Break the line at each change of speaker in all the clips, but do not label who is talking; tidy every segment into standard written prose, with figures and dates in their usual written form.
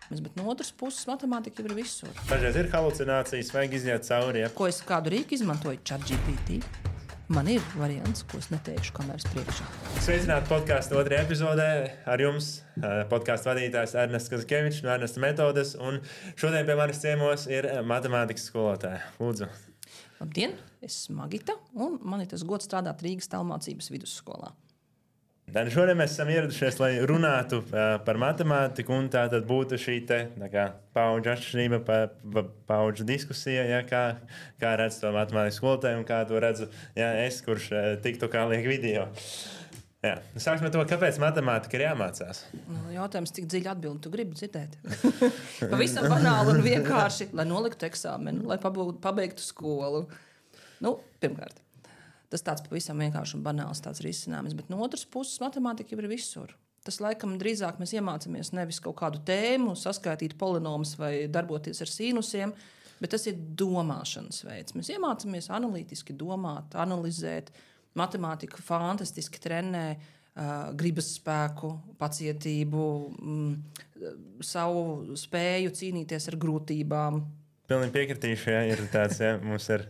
Bet no otras puses, matemātika jau ir visur.
Dažreiz ir halucinācijas, vajag iziet cauri. Ja?
Ko es kādu rīku izmantoju? ChatGPT. Man ir variants, ko es neteikšu kameras priekšā.
Sveicināti podkāstu otrajā epizodē. Ar jums podkāstu vadītājs Ernests Kazakievičs no Ernesta Metodes. Un šodien pie manis ciemos ir matemātikas skolotāja. Lūdzu.
Labdien, es esmu Magita, un man ir tas gods strādāt Rīgas tālmācības vidusskolā.
Šodien mēs esam ieradušies, lai runātu par matemātiku, un tā tad būtu šī paudžu atšķirība, paudžu diskusija, ja, kā redz to matemātikas skolotāju un kā to redzu es, kurš tiktu kā liek video. Jā. Sāksim ar to, kāpēc matemātika ir jāmācās.
Jautājums, cik dziļi atbildi tu gribi dzirdēt? Pavisam banāli un vienkārši, lai noliktu eksāmenu, lai pabeigtu skolu. Pirmkārt. Tas tāds pavisam vienkārši un banāls risinājums, bet no otras puses matemātika jau ir visur. Tas laikam drīzāk mēs iemācāmies nevis kaut kādu tēmu, saskaitīt polinomus vai darboties ar sinusiem, bet tas ir domāšanas veids. Mēs iemācāmies analītiski domāt, analizēt. Matemātika fantastiski trenē gribas spēku, pacietību, savu spēju cīnīties ar grūtībām.
Pilnīgi piekritīšu, ja ir tāds, ja, mums ir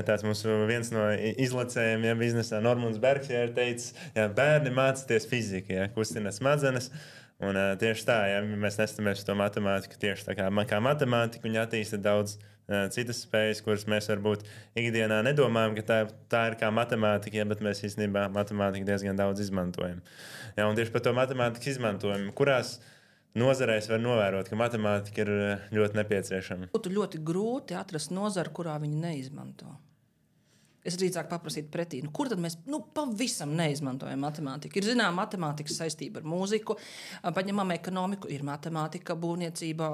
tāds mūsu viens no izlacējiem, ja, biznesā Normons Bergs, ja, ir teicis, ja, bērni mācīties fiziku, ja, kustina smadzenes, un tieši tā, ja, mēs nestamies uz to matemātiku tieši tā kā matemātika, viņa attīsta daudz citas spējas, kuras mēs varbūt ikdienā nedomājam, ka tā ir kā matemātika, ja, bet mēs īstenībā matemātiku diezgan daudz izmantojam. Ja, un tieši par to matemātikas izmantojumu, kurās nozarēs var novērot, ka matemātika ir ļoti nepieciešama.
Būtu ļoti grūti atrast nozaru, kurā viņi neizmanto. Es drīzāk paprasītu pretī, kur tad mēs pavisam neizmantojam matemātiku. Ir zinām matemātikas saistība ar mūziku, paņemam ekonomiku, ir matemātika, būvniecība,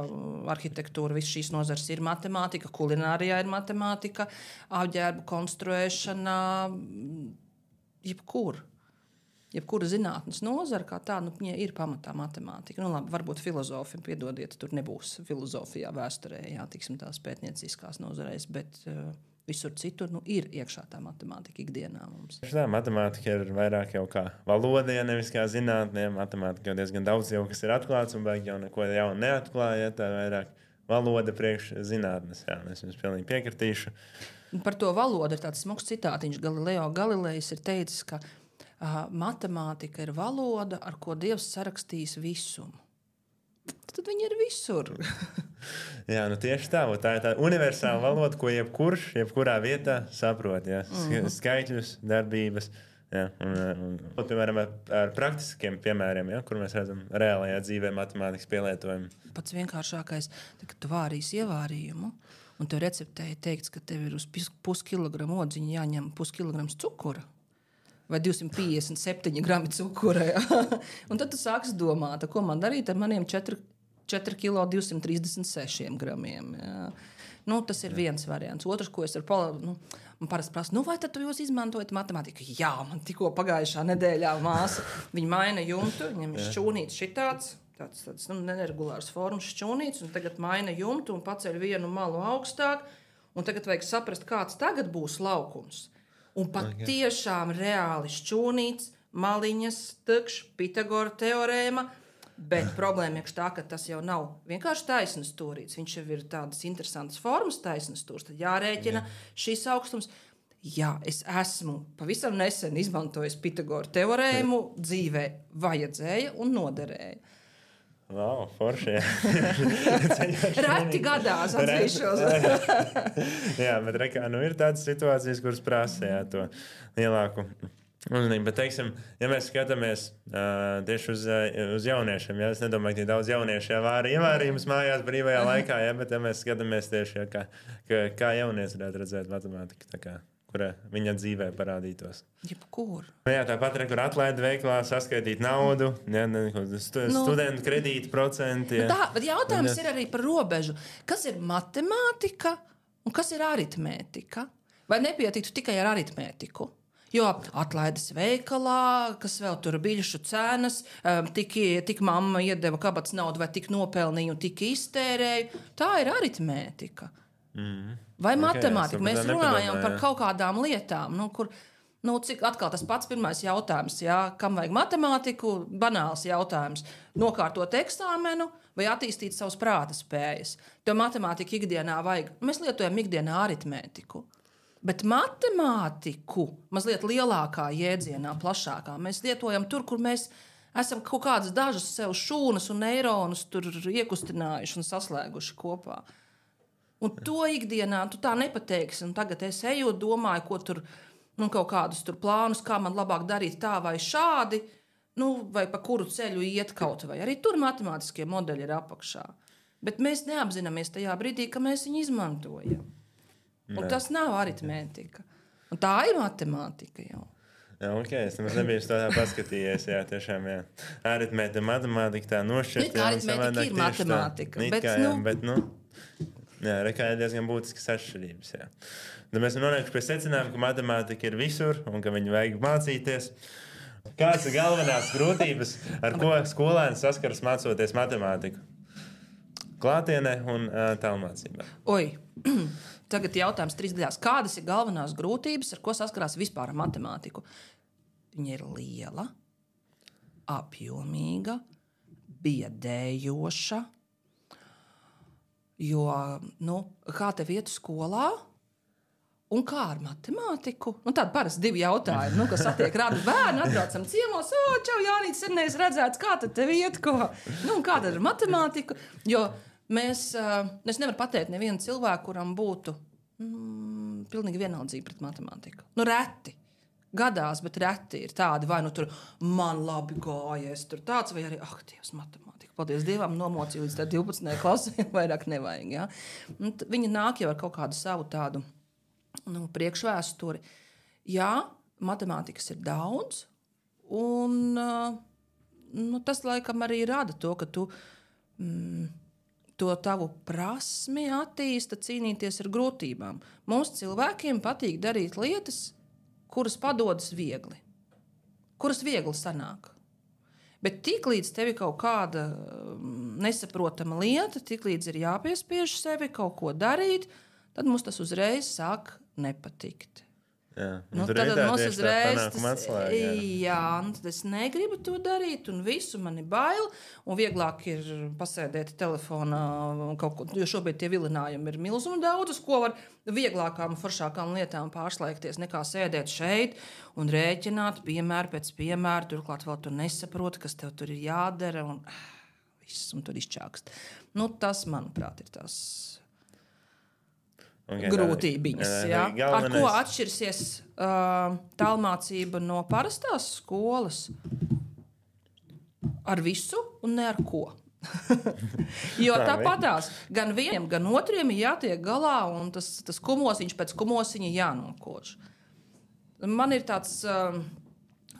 arhitektūra, visas šīs nozares ir matemātika, kulinārijā ir matemātika, apģērbu konstruēšana, jebkura zinātnes nozara kā tā, viņa ir pamatā matemātika. Labi, varbūt filozofi, piedodiet, tur nebūs filozofijā, vēsturē, tiksim tās pētnieciskās nozarēs, bet visur citur ir iekšā tā matemātika ikdienā mums.
Tā matemātika ir vairāk jau kā valoda, ja nevis kā zinātnē. Matemātika jau diezgan daudz jau, kas ir atklāts un beig jau neko jaunu neatklāja, tā vairāk valoda priekš zinātnes. Jā, es jums pilnīgi piekritīšu.
Par to valodu ir tāds smags citātiņš. Galileo Galilejs ir teicis, ka matemātika ir valoda, ar ko Dievs sarakstījis visumu. Tad viņi ir visur.
Jā, tieši tā. Tā ir tā universāla valoda, ko jebkurā vietā saprot. Ja? Skaitļus, darbības. Ja? Piemēram, ar praktiskiem piemēriem, ja? Kur mēs redzam reālajā dzīvē matemātikas pielietojumu.
Pats vienkāršākais, kad tu vārīsi ievārījumu, un tev receptē ir teikts, ka tev ir uz puskilogramu odziņa jāņem puskilograms cukura. Vai 257 grami cukura. Ja? Un tad tu sāksi domāt, ko man darīt ar maniem 4 kilo 236 gramiem. Ja? Tas ir viens variants. Otrs, ko es man parasti prasu, vai tad jūs izmantojat matemātiku? Jā, man tikko pagājušā nedēļā māsa, viņa maina jumtu, viņam ir šķūnīts šitāds, tāds neregulārs formas šķūnīts, un tagad maina jumtu un paceļ vienu malu augstāk, un tagad vajag saprast, kāds tagad būs laukums. Un patiešām reāli šķūnīts, maliņas, Pitagora teorēma, bet problēma ir tā, ka tas jau nav vienkārši taisnas stūrīts. Viņš jau ir tādas interesantas formas taisnas stūrs, tad jārēķina šīs augstums. Jā, es esmu pavisam nesen izmantojis Pitagora teorēmu, dzīvē vajadzēja un noderēja.
Wow, forši,
Reti gadās atzīšos.
Jā, bet ir tādas situācijas, kuras prasa to lielāku uzmanību. Bet, teiksim, ja mēs skatāmies tieši uz jauniešiem, es nedomāju, ka daudz jauniešu ievārījumus mājās brīvajā laikā, bet ja mēs skatāmies tieši, kā jaunieši varētu redzēt matemātiku, kura viņa dzīvē parādītos.
Jebkur.
Tāpat, kur atlaida veiklā saskaitīt naudu, studentu kredītu procenti.
Bet jautājums ir arī par robežu. Kas ir matemātika un kas ir aritmētika? Vai nepietiktu tikai ar aritmētiku? Jo atlaides veikalā, kas vēl tur biļešu cenas, tik mamma iedeva kabatas naudu vai tik nopelnīju un tik iztērēju. Tā ir aritmētika. Vai matemātika? Mēs runājam par kaut kādām lietām, kur Nu, cik atkal tas pats pirmais jautājums, jā, kam vajag matemātiku, banāls jautājums. Nokārtot eksāmenu vai attīstīt savas prāta spējas. Tev matemātika ikdienā vajag. Mēs lietojam ikdienā aritmētiku. Bet matemātiku mazliet lielākā jēdzienā, plašākā. Mēs lietojam tur, kur mēs esam kaut kādas dažas sev šūnas un neironus tur iekustinājuši un saslēguši kopā. Un to ikdienā tu tā nepateiksi. Un tagad es eju, domāju, ko tur, kaut kādus tur plānus, kā man labāk darīt tā vai šādi, vai pa kuru ceļu iet kaut vai. Arī tur matemātiskie modeļi ir apakšā. Bet mēs neapzināmies tajā brīdī, ka mēs viņu izmantojam. Un tas nav aritmētika. Un tā ir matemātika jau.
Jā, es nemaz nebiju tā paskatījies. Jā, tiešām, jā. Aritmētika, matemātika tā nošķirt.
Aritmētika ir matemātika.
Jā, rekā ir diezgan būtiskas atšķirības. Jā. Tad mēs nonākam pie secinājuma, ka matemātika ir visur un ka viņu vajag mācīties. Kādas ir galvenās grūtības, ar ko skolēni saskaras mācoties matemātiku? Klātienē un tālmācībā.
Tagad jautājums 3 daļās. Kādas ir galvenās grūtības, ar ko saskarās vispār ar matemātiku? Viņa ir liela, apjomīga, biedējoša. Jo, kā tev iet skolā un kā ar matemātiku? Tādi parasti 2 jautājumi, kas satiek radu bērnu, atbraucam ciemos, čau, Jānīts, sen neesi redzēts, kā tad tev iet, ko? Kā tad ar matemātiku? Jo es nevaru pateikt nevienu cilvēku, kuram būtu pilnīgi vienaldzība pret matemātiku. Reti. Gadās, bet reti ir tādi, vai tur man labi gājies, tur tāds, vai arī, Dievs, matemātika. Paldies Dievam, nomocīju līdz 12. klasē, vairāk nevajag. Ja? Viņi nāk jau ar kaut kādu savu tādu priekšvēsturi. Jā, matemātikas ir daudz, un tas laikam arī rada to, ka tu to tavu prasmi attīsta cīnīties ar grūtībām. Mums cilvēkiem patīk darīt lietas, kuras padodas viegli, kuras viegli sanāk. Bet tiklīdz tev ir kaut kāda nesaprotama lieta, tiklīdz ir jāpiespiež sevi kaut ko darīt, tad mums tas uzreiz sāk nepatikt.
Jā,
tad mums uzreiz tas, tad es negribu to darīt, un visu man ir bail, un vieglāk ir pasēdēt telefonā kaut ko, jo šobrīd tie vilinājumi ir milzumi daudz, ko var vieglākām, foršākām lietām pārslēgties, nekā sēdēt šeit un rēķināt piemēru pēc piemēru, turklāt vēl tu nesaproti, kas tev tur ir jādara, un viss, un tur izčākst. Tas, manuprāt, ir tas grūtībiņas. Ar ko atšķirsies tālmācība no parastās skolas? Ar visu un ne ar ko. Jo tāpatās gan vieniem, gan otriem ir jātiek galā, un tas kumosiņš pēc kumosiņa jānokož. Man ir tāds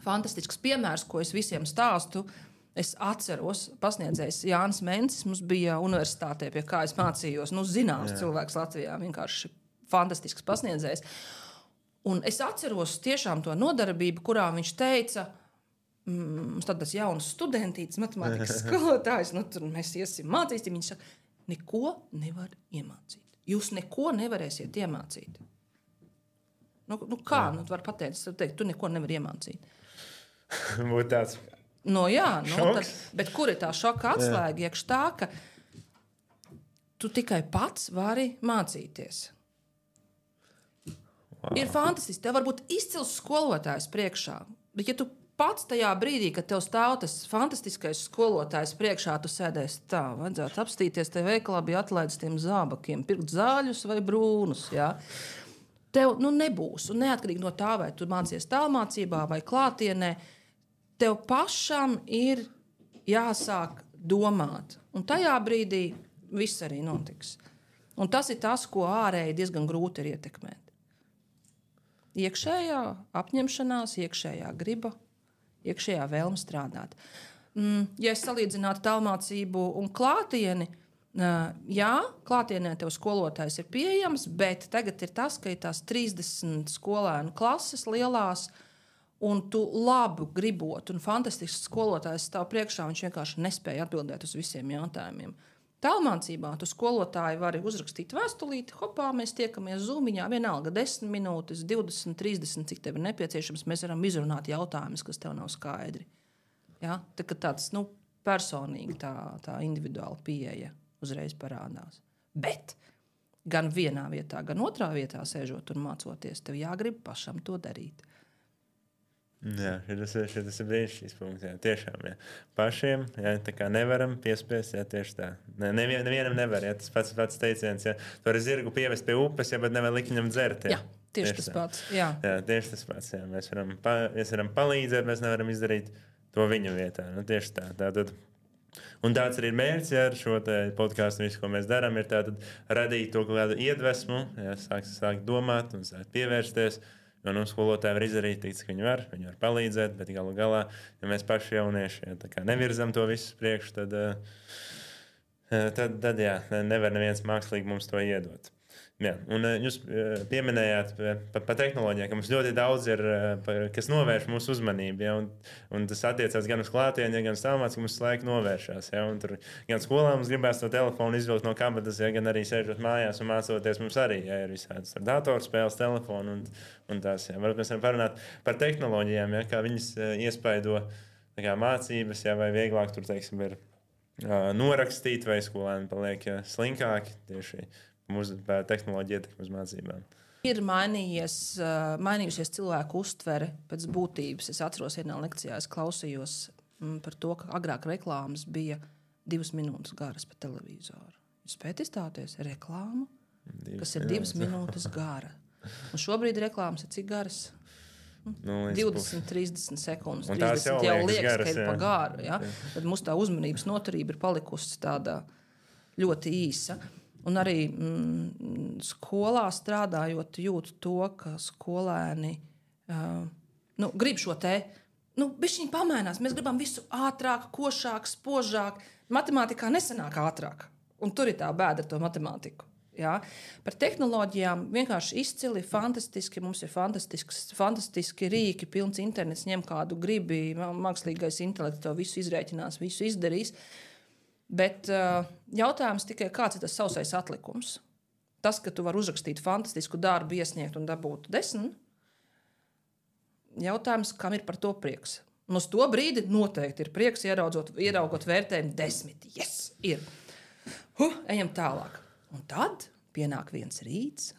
fantastisks piemērs, ko es visiem stāstu. Es atceros, pasniedzējs Jānis Mencis, mums bija universitātē, pie kā es mācījos, zināms cilvēks Latvijā, vienkārši fantastisks pasniedzējs. Un es atceros tiešām to nodarbību, kurā viņš teica, mums tādas jaunas studentītes, matemātikas skolotājs, tur mēs iesim mācīsim, viņš saka, neko nevar iemācīt. Jūs neko nevarēsiet iemācīt. Kā? Tu vari pateikt, tu neko nevar iemācīt.
Būtu tāds...
Bet kur ir tā šoka atslēga? Iekš tā, ka tu tikai pats vari mācīties. Wow. Ir fantastiski. Tev var būt izcils skolotājs priekšā. Bet ja tu pats tajā brīdī, kad tev stāv tas fantastiskais skolotājs priekšā, tu sēdēsi tā, vajadzētu apstīties, te veikalā bija atlaidis tiem zābakiem, pirkt zāļus vai brūnus, jā. Tev nebūs. Un neatkarīgi no tā, vai tu mācies tālmācībā vai klātienē, tev pašam ir jāsāk domāt. Un tajā brīdī viss arī notiks. Un tas ir tas, ko ārēji diezgan grūti ir ietekmēt. Iekšējā apņemšanās, iekšējā griba, iekšējā vēlme strādāt. Ja es salīdzinātu tālmācību un klātieni, jā, klātienē tev skolotājs ir pieejams, bet tagad ir tas, ka ir tās 30 skolēnu klases lielās, un tu labu gribot, un fantastisks skolotājs stāv priekšā, viņš vienkārši nespēja atbildēt uz visiem jautājumiem. Tālmācībā tu skolotāji vari uzrakstīt vēstulīti, hopā, mēs tiekamies Zoomiņā, vienalga 10 minūtes, 20, 30, cik tev ir nepieciešams, mēs varam izrunāt jautājumus, kas tev nav skaidri. Ja? Tāds personīgi tā individuāla pieeja uzreiz parādās. Bet gan vienā vietā, gan otrā vietā sēžot un mācoties, tev jāgrib pašam to darīt.
Jā, šis ir brīnišķīgs punkts. Jā, tiešām, jā. Pašiem tā kā nevaram piespiest, jā, tieši tā. Nevienam nevar, jā, tas pats teiciens, jā. Tu vari zirgu pievest pie upes, jā, bet nevar likt viņam dzert. Jā,
tieši tas pats. Jā,
tieši tas pats. Jā. Mēs varam palīdzēt, mēs nevaram izdarīt to viņa vietā. Nu, tieši tā. Tātad. Un tāds arī ir mērķis, jā, ar šo podkāstu, visu, ko mēs darām, ir tātad radīt to kādu iedvesmu, jā, sākt domāt un sākt pievērsties. Jo skolotāji var izdarīt, cik viņi var palīdzēt, bet galu galā, ja mēs paši jaunieši nevirzam to visu priekšu, tad jā, nevar neviens mākslīgi mums to iedot. Jā, un jūs pieminējāt par tehnoloģijām, ka mums ļoti daudz ir, kas novērš mūsu uzmanību. Ja, un tas attiecās gan uz klātienē, gan uz tālmācību, ka mums laiku novēršās. Ja, tur gan skolā mums gribēs to telefonu izvilkt no kabatas, ja, gan arī sēžot mājās un mācoties mums arī ja, ir visādas datorspēles, telefonu un tās. Ja. Varbūt mēs varam parunāt par tehnoloģijām, ja, kā viņas iespaido mācības, ja, vai vieglāk tur, teiksim, ir norakstīt, vai skolēni paliek slinkāki tieši tehnoloģija ietekme uz mācībām.
Ir mainījusies cilvēku uztvere pēc būtības. Es atceros, vienā lekcijā es klausījos par to, ka agrāk reklāmas bija 2 minūtes garas pa televizoru. Jūs spējat izstāties reklāmu, kas ir 2 minūtes gara. Un šobrīd reklāmas ir cik garas? 20, 30 sekundes. 30 jau liekas, garas, ka ir pa garu. Ja? Tad mums tā uzmanības noturība ir palikusi tāda ļoti īsa. Un arī skolā strādājot, jūtu to, ka skolēni grib šo te, bišķiņ pamainās. Mēs gribam visu ātrāk, košāk, spožāk. Matemātikā nesanāk ātrāk. Un tur ir tā bēda ar to matemātiku. Ja? Par tehnoloģijām vienkārši izcili, fantastiski. Mums ir fantastiski rīki, pilns internets, ņem kādu gribi, mākslīgais intelekts to visu izrēķinās, visu izdarīs. Bet jautājums tikai, kāds ir tas sausais atlikums? Tas, ka tu vari uzrakstīt fantastisku darbu, iesniegt un dabūt 10. Jautājums, kam ir par to prieks? Un uz to brīdi noteikti ir prieks, ieraugot vērtējumu 10. Yes, ir. Ejam tālāk. Un tad pienāk viens rīts,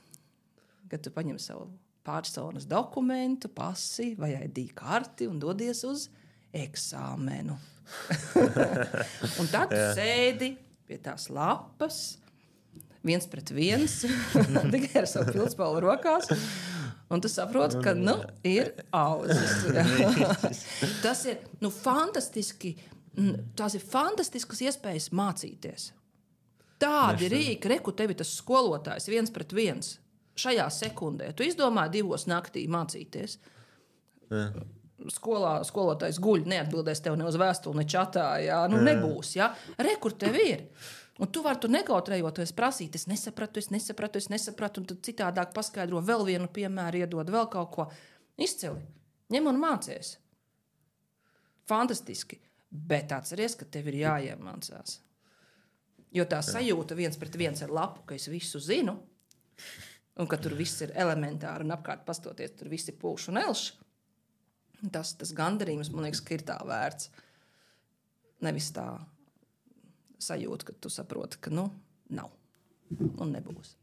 kad tu paņem savu personas dokumentu, pasi vai ID karti un dodies uz eksāmenu. Un tad tu sēdi pie tās lapas, 1-1, tikai ar savu pildspalvu rokās, un tu saproti, ka ir auzas. Tas ir fantastiski, tās ir fantastiskas iespējas mācīties. Tādi rīki, reku tevi tas skolotājs 1-1 šajā sekundē. Tu izdomāji 2 naktī mācīties. Skolotājs guļ, neatbildēs tev ne uz vēstuli, ne čatā. Jā, nebūs. Jā. Kur tev ir? Un tu vari tur nekautrējoties prasīt, es nesapratu, un tad citādāk paskaidro, vēl vienu piemēru iedod, vēl kaut ko. Izcili. Ņem un mācies. Fantastiski. Bet atceries, ka tev ir jāiemācās. Jo tā sajūta 1-1 ar lapu, ka es visu zinu, un ka tur viss ir elementāri, un apkārt pastoties, tur viss ir pūš un elš. Tas gandarījums, man liekas, ka ir tā vērts. Nevis tā sajūta, ka tu saproti, ka nav un nebūs.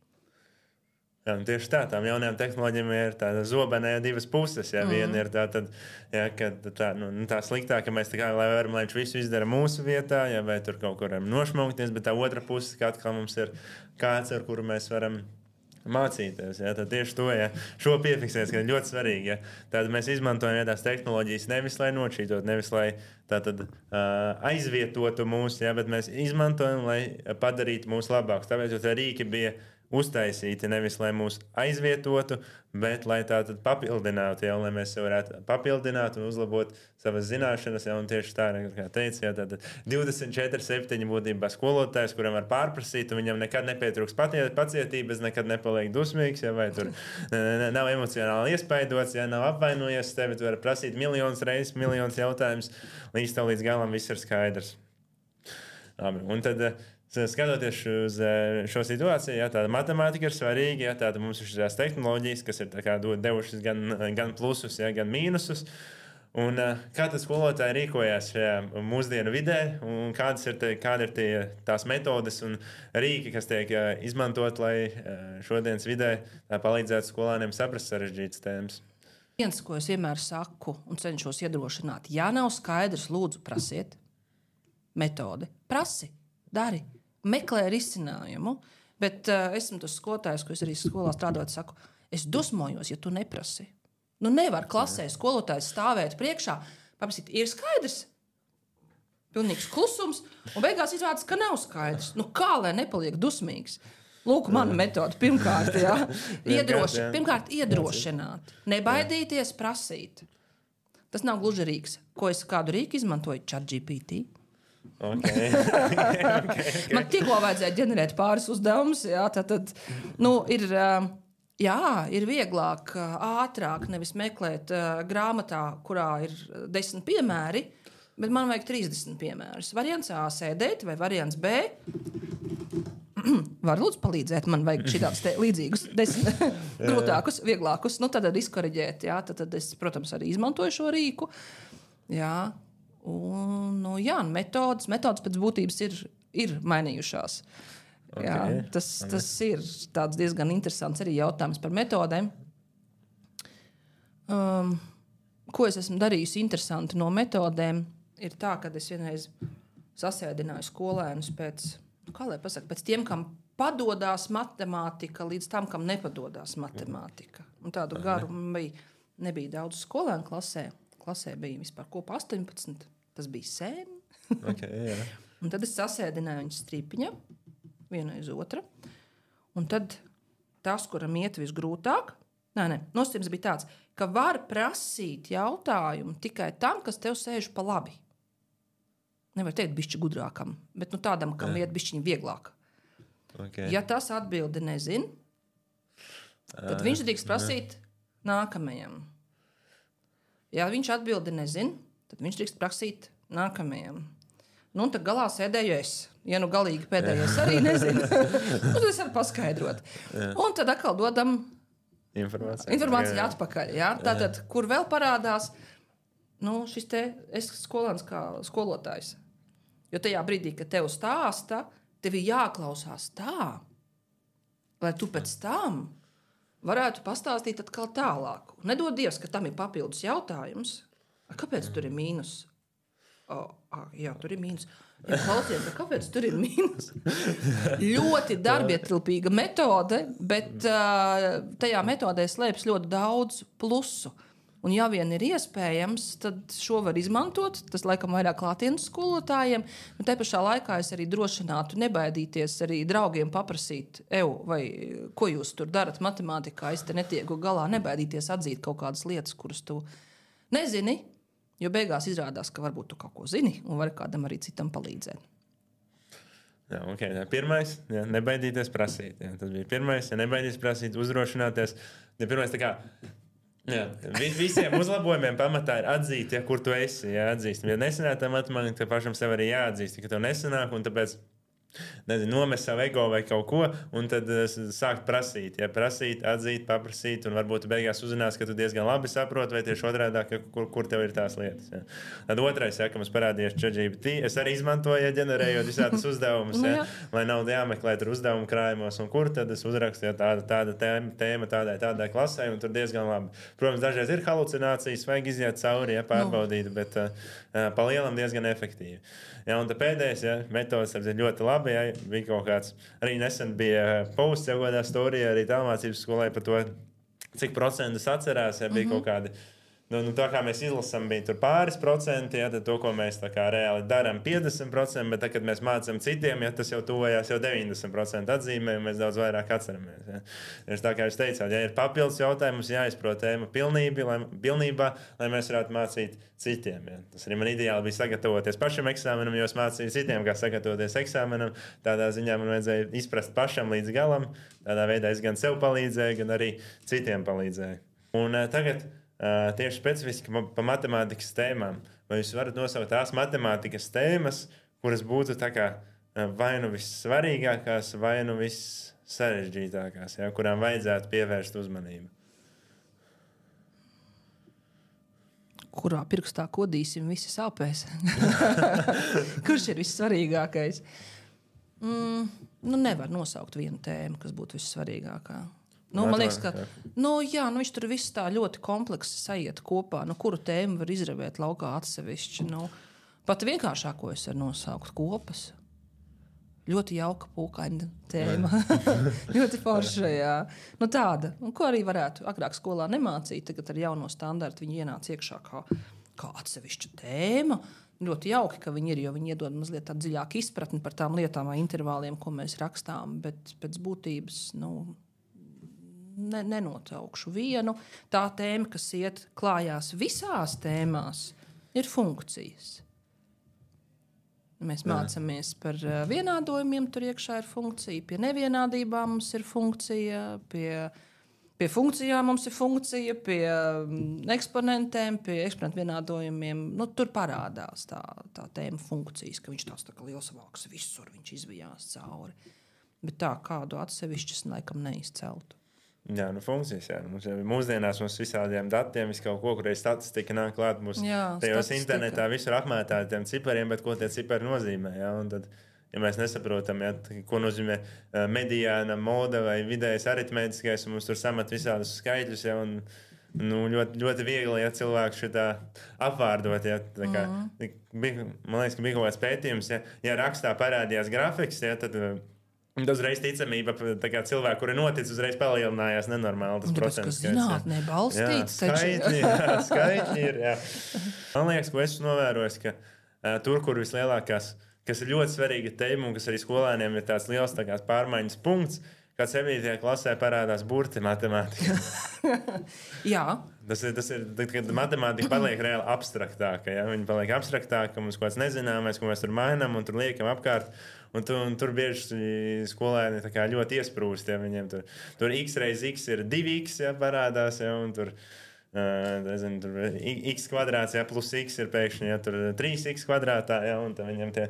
Jā, tieši tām jaunajām tehnoloģijām ir tāda zobenē 2 puses. Jā, viena ir tā sliktā, ka mēs lai viņš visu izdara mūsu vietā, jā, vai tur kaut kur nošmaukties, bet tā otra puse, ka atkal mums ir kāds, ar kuru mēs varam mācīties. Ja? Tad tieši to šo piefiksēs, ka ir ļoti svarīgi. Ja? Tad mēs izmantojam tās tehnoloģijas nevis lai nošķītot, nevis lai aizvietotu mūs, ja? Bet mēs izmantojam, lai padarītu mūs labākus. Tāpēc tie rīki bija uztaisīti nevis lai mūs aizvietotu, bet lai tā tad papildinātu, ja? Lai mēs varētu papildināt un uzlabot savas zināšanas. Ja? Un tieši tā, kā teicu, ja? Tad 24/7 būtībā skolotājs, kuram var pārprasīt, un viņam nekad nepietrūks pacietības, nekad nepaliek dusmīgs, ja? Vai tur nav emocionāli iespaidots, ja? Nav apvainojies tevi, tu vari prasīt miljonus reizes, miljonus jautājumus, līdz galam viss ir skaidrs. Labi, un tad skatoties uz šo situāciju, ja tāda matemātika ir svarīga, ja tāda mums ir šīs tehnoloģijas, kas ir devušas gan plusus, ja, gan mīnusus. Un, kā tas skolotāji rīkojās šajā mūsdienu vidē, un kāda ir tās metodes un rīki, kas tiek izmantot, lai šodienas vidē palīdzētu skolāniem saprast sarežģītas tēmas?
Viens, ko es vienmēr saku un cenšos iedrošināt, ja nav skaidrs, lūdzu, prasiet metodi. Prasi, dari, meklē risinājumu. Bet esmu tas skolotājs, ko es arī skolā strādājot, saku, es dusmojos, ja tu neprasi. Nu, nevar klasē skolotājs stāvēt priekšā, paprasīt, ir skaidrs. Pilnīgs klusums, un beigās izrādās, ka nav skaidrs. Nu, kā lai nepaliek dusmīgs? Lūk, mana metode pirmkārt, jā. Pirmkārt, iedrošināt. Nebaidīties, prasīt. Tas nav gluži rīks. Ko es kādu rīku izmantoju? ChatGPT.
Okay.
Man tikko vajadzēja ģenerēt pāris uzdevumus, jā, tad, ir vieglāk, ātrāk nevis meklēt grāmatā, kurā ir 10 piemēri, bet man vajag 30 piemērus. Variants A sēdēt vai variants B. Var lūdzu palīdzēt, man vajag šitādus līdzīgus 10 grūtākus, vieglākus. Nu, tad izkoriģēt, jā, tad es, protams, arī izmantoju šo rīku. Jā, un, metodas pēc būtības ir mainījušās. Okay. Jā, tas ir diezgan interesants arī jautājums par metodēm. Ko es esmu darījusi interesanti no metodēm, ir tā, ka es vienreiz sasēdināju skolēnus pēc tiem, kam padodās matemātika, līdz tam, kam nepadodās matemātika. Un tādu garu nebija daudz skolēnu klasē. Klasē bija vispār kopā 18. Tas bija sen.
Okay,
un tad es sasēdināju viņus stripiņā. Viena aiz otra. Un tad tas, kuram iet visgrūtāk, nosacījums bija tāds, ka var prasīt jautājumu tikai tam, kas tev sēž pa labi. Nevar teikt bišķi gudrākam, bet tādam, kam iet bišķiņi vieglāk.
Okay.
Ja tas atbildi nezin, tad viņš drīkst prasīt nākamajam. Ja viņš atbildi nezin, tad viņš drīkst prasīt nākamajam. Nu, un tad galā sēdēju es. Ja galīgi pēdējais arī nezinu, tad es varu paskaidrot. Un tad atkal dodam informāciju atpakaļ. Jā? Tātad, kur vēl parādās, šis es skolāns kā skolotājs. Jo tajā brīdī, kad tev stāsta, tev ir jāklausās tā, lai tu pēc tam varētu pastāstīt atkal tālāk. Nedod Dievs, ka tam ir papildus jautājums. Kāpēc tur ir mīnus? Jā, tur ir mīnus. Ja klausies, kāpēc tur ir mīnus? Ļoti darbietilpīga metode, bet tajā metodē slēpjas ļoti daudz plusu. Un ja vien ir iespējams, tad šo var izmantot. Tas laikam vairāk klātienes skolotājiem. Bet te pašā laikā es arī drošinātu nebaidīties arī draugiem paprasīt, vai ko jūs tur darat matemātikā, es te netieku galā, nebaidīties atzīt kaut kādas lietas, kuras tu nezini. Jo beigās izrādās, ka varbūt tu kaut ko zini un vari kādam arī citam palīdzēt.
Jā, okay. Pirmais, nebaidīties prasīt. Jā, tas bija pirmais, nebaidīties prasīt, uzdrošināties. Pirmais, visiem uzlabojumiem pamatā ir atzīt, kur tu esi. Atzīst. Ja nesanāk tā matemātika, tad pašam sev arī jāatzīst, ka tev nesanāk, un tāpēc nomest savu ego vai kaut ko, un tad sākt prasīt. Prasīt, atzīt, paprasīt, un varbūt beigās uzzinās, ka tu diezgan labi saproti, vai tieši otrādāk, kur tev ir tās lietas. Ja. Tad otrais, ka mums parādījās ChatGPT, es arī izmantoju, ģenerējot visādus uzdevumus, lai nav jāmeklē tur uzdevumu krājumos, un kur tad es uzrakstu tāda tēma tādai klasē, un tur diezgan labi. Protams, dažreiz ir halucinācijas, vajag iziet cauri, pārbaudīt, bet pa lielam diezgan efektīvi. Ja, un pēdējais metods ir ļoti labi. Ja, bija kaut kāds, arī nesen bija posts jau kādā storijā, arī tālmācības skolai par to, cik procentus atcerās. Ja, bija kaut kādi, tā kā mēs izlasām, bija tur pāris procenti, ja, tad to, ko mēs tā kā reāli darām, 50%, bet tad, kad mēs mācām citiem, ja, tas jau tuvojās jau 90% atzīmē, un mēs daudz vairāk atceramies. Ja. Tā kā jūs teicāt, ja ir papildus jautājums, jāizprot tēma pilnībā, lai mēs varētu mācīt citiem. Ja. Tas arī man ideāli bija sagatavoties pašam eksāmenam, jo es mācīju citiem, kā sagatavoties eksāmenam. Tādā ziņā man vajadzēja izprast pašam līdz galam. Tādā veidā es gan sev palīdzēju, gan arī citiem palīdzēju. Un tagad tieši specifiski par matemātikas tēmām. Vai jūs varat nosaukt tās matemātikas tēmas, kuras būtu tā kā vai nu vissvarīgākās, vai nu vissarežģītākās, ja, kurām vajadzētu pievērst uzmanību?
Kurā pirkstā kodīsim, visi sāpēs? Kurš ir vissvarīgākais? Nevar nosaukt vienu tēmu, kas būtu vissvarīgākā. Man liekas, ka viņš tur viss tā ļoti kompleksi sajiet kopā. Kuru tēmu var izravēt laukā atsevišķi? Pat vienkāršāko es varu nosaukt kopas. Ļoti jauka pūkaina tēma. Ļoti forša, jā. Tāda, ko arī varētu agrāk skolā nemācīt, tagad ar jauno standartu viņi ienāca iekšā kā atsevišķa tēma. Ļoti jauki, ka viņi ir, jo viņi iedod mazliet tādu dziļāku izpratni par tām lietām vai intervāliem, ko mēs rakstām, bet pēc būtības, nenotaukšu vienu. Tā tēma, kas iet klājās visās tēmās, ir funkcijas. Mēs mācāmies par vienādojumiem, tur iekšā ir funkcija, pie nevienādībām mums ir funkcija, pie funkcijām mums ir funkcija, pie eksponentiem, pie eksponentu vienādojumiem. Tur parādās tā tēma funkcijas, ka viņš tāds tā kā liels vāks visur, viņš izvijās cauri. Bet tā kādu atsevišķas laikam neizceltu.
Jā, funkcijas. Jā. Mūsdienās mums visādiem datiem, visu kaut ko, kur ir statistika nāk klāt. Mums tajos internetā visur apmētā tiem cipariem, bet ko tie cipari nozīmē. Jā? Un tad, ja mēs nesaprotam, ko nozīmē mediāna, moda vai vidējais aritmētiskais, un mums tur samet visādus skaitļus, ja, un ļoti, ļoti viegli, ja cilvēku šitā apvārdot. Ja, man liekas, ka bija kaut kāds pētījums, ja rakstā parādījās grafiks, ja, tad uzreiz ticamība cilvēku, kuri notic, uzreiz palielinājās nenormāli. Tas procents,
kas zinātnē balstīts.
Skaitļi ir. Jā. Man liekas, ko esmu novērojis, ka tur, kur vislielākās, kas ir ļoti svarīga tēma un kas arī skolēniem ir tāds liels pārmaiņas punkts, kad 7. klasē parādās burti matemātikā.
Jā.
Tas ir, kad matemātika paliek reāli abstraktāka. Ja? Viņa paliek abstraktāka, mums kaut kāds nezināmais, ko mēs tur mainām un tur liekam apkārt. Un tur bieži skolēni ļoti iesprūst. Ja? Viņiem tur x reiz x ir 2x, ja, parādās. Ja? Un tur x kvadrāts, ja, plus x ir pēkšņi, ja, tur 3x kvadrātā. Ja? Un viņiem tie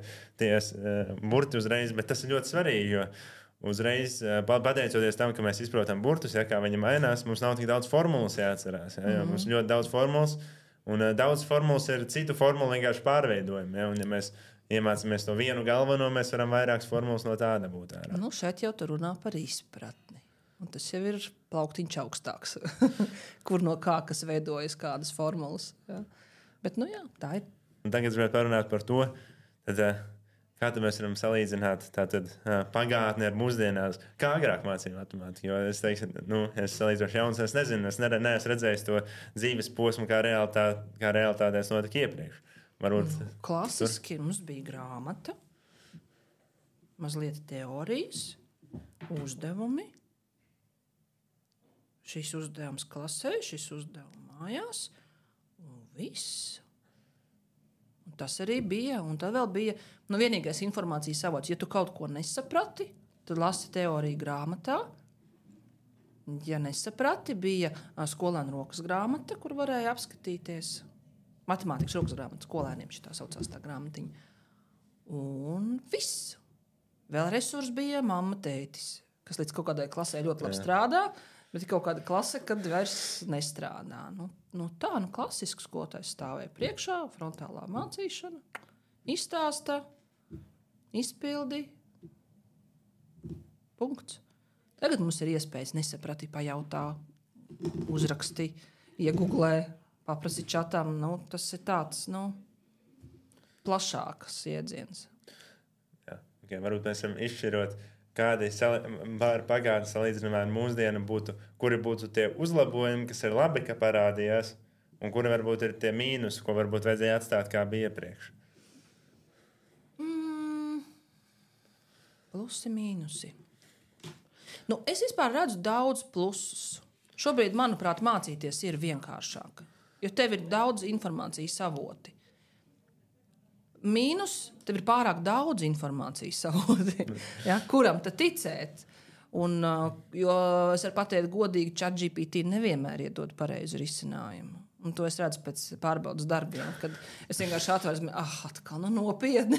burti uzreiz. Bet tas ir ļoti svarīgi, jo uzreiz, pateicoties tam, ka mēs izprotam burtus, ja, kā viņi mainās, mums nav tik daudz formulas jāatcerās. Ja, mums ir ļoti daudz formulas, un daudz formulas ir citu formulu vienkārši pārveidojumi. Ja, un, ja mēs iemācāmies to vienu galveno, mēs varam vairākas formulas no tāda būt ārā.
Šeit jau tur runā par izpratni. Un tas jau ir plauktiņš augstāks, kur no kā kas veidojas kādas formulas. Ja. Bet, jā, tā ir.
Un tagad gribētu parunāt par to, tad, kā mēs varam salīdzināt pagātni ar mūsdienās? Kā agrāk mācīja matemātiku? Jo es teiktu, es salīdzinoši jauns, es nezinu, es neesmu redzējis to dzīves posmu, kā realitātēs notika iepriekš. Varbūt,
klasiski mums bija grāmata, mazliet teorijas, uzdevumi. Šis uzdevums klasē, šis uzdevums mājās, un viss. Tas arī bija, un tad vēl bija vienīgais informācijas avots. Ja tu kaut ko nesaprati, tad lasi teoriju grāmatā. Ja nesaprati, bija skolēnu rokas grāmata, kur varēja apskatīties. Matemātikas rokas grāmata skolēniem šitā saucās tā grāmatiņa. Un viss. Vēl resurs bija mamma, tētis, kas līdz kaut kādai klasē ļoti labi strādā, bet ir kaut kāda klase, kad vairs nestrādā. Klasisks skolotājs stāvēja priekšā, frontālā mācīšana, izstāsta, izpildi, punkts. Tagad mums ir iespējas nesaprati, pajautā, uzraksti, iegooglē, paprasi čatam. Tas ir tāds plašāks iedziens.
Jā, okay, varbūt mēs varam izšķirot, kādi pagātnes salīdzinājumā ar mūsdienu būtu, kuri būtu tie uzlabojumi, kas ir labi, ka parādījās, un kuri varbūt ir tie mīnusi, ko varbūt vajadzēja atstāt, kā bija iepriekš?
Plusi, mīnusi. Es vispār redzu daudz plusus. Šobrīd, manuprāt, mācīties ir vienkāršāk, jo tev ir daudz informācijas avoti. Mīnus, tev ir pārāk daudz informācijas avoti, ja? Kuram tad ticēt? Jo es varu pateikt godīgi, ChatGPT nevienmēr iedod pareizu risinājumu. Un to es redzu pēc pārbaudas darbiem, kad es vienkārši atvēru, atkal nopietni.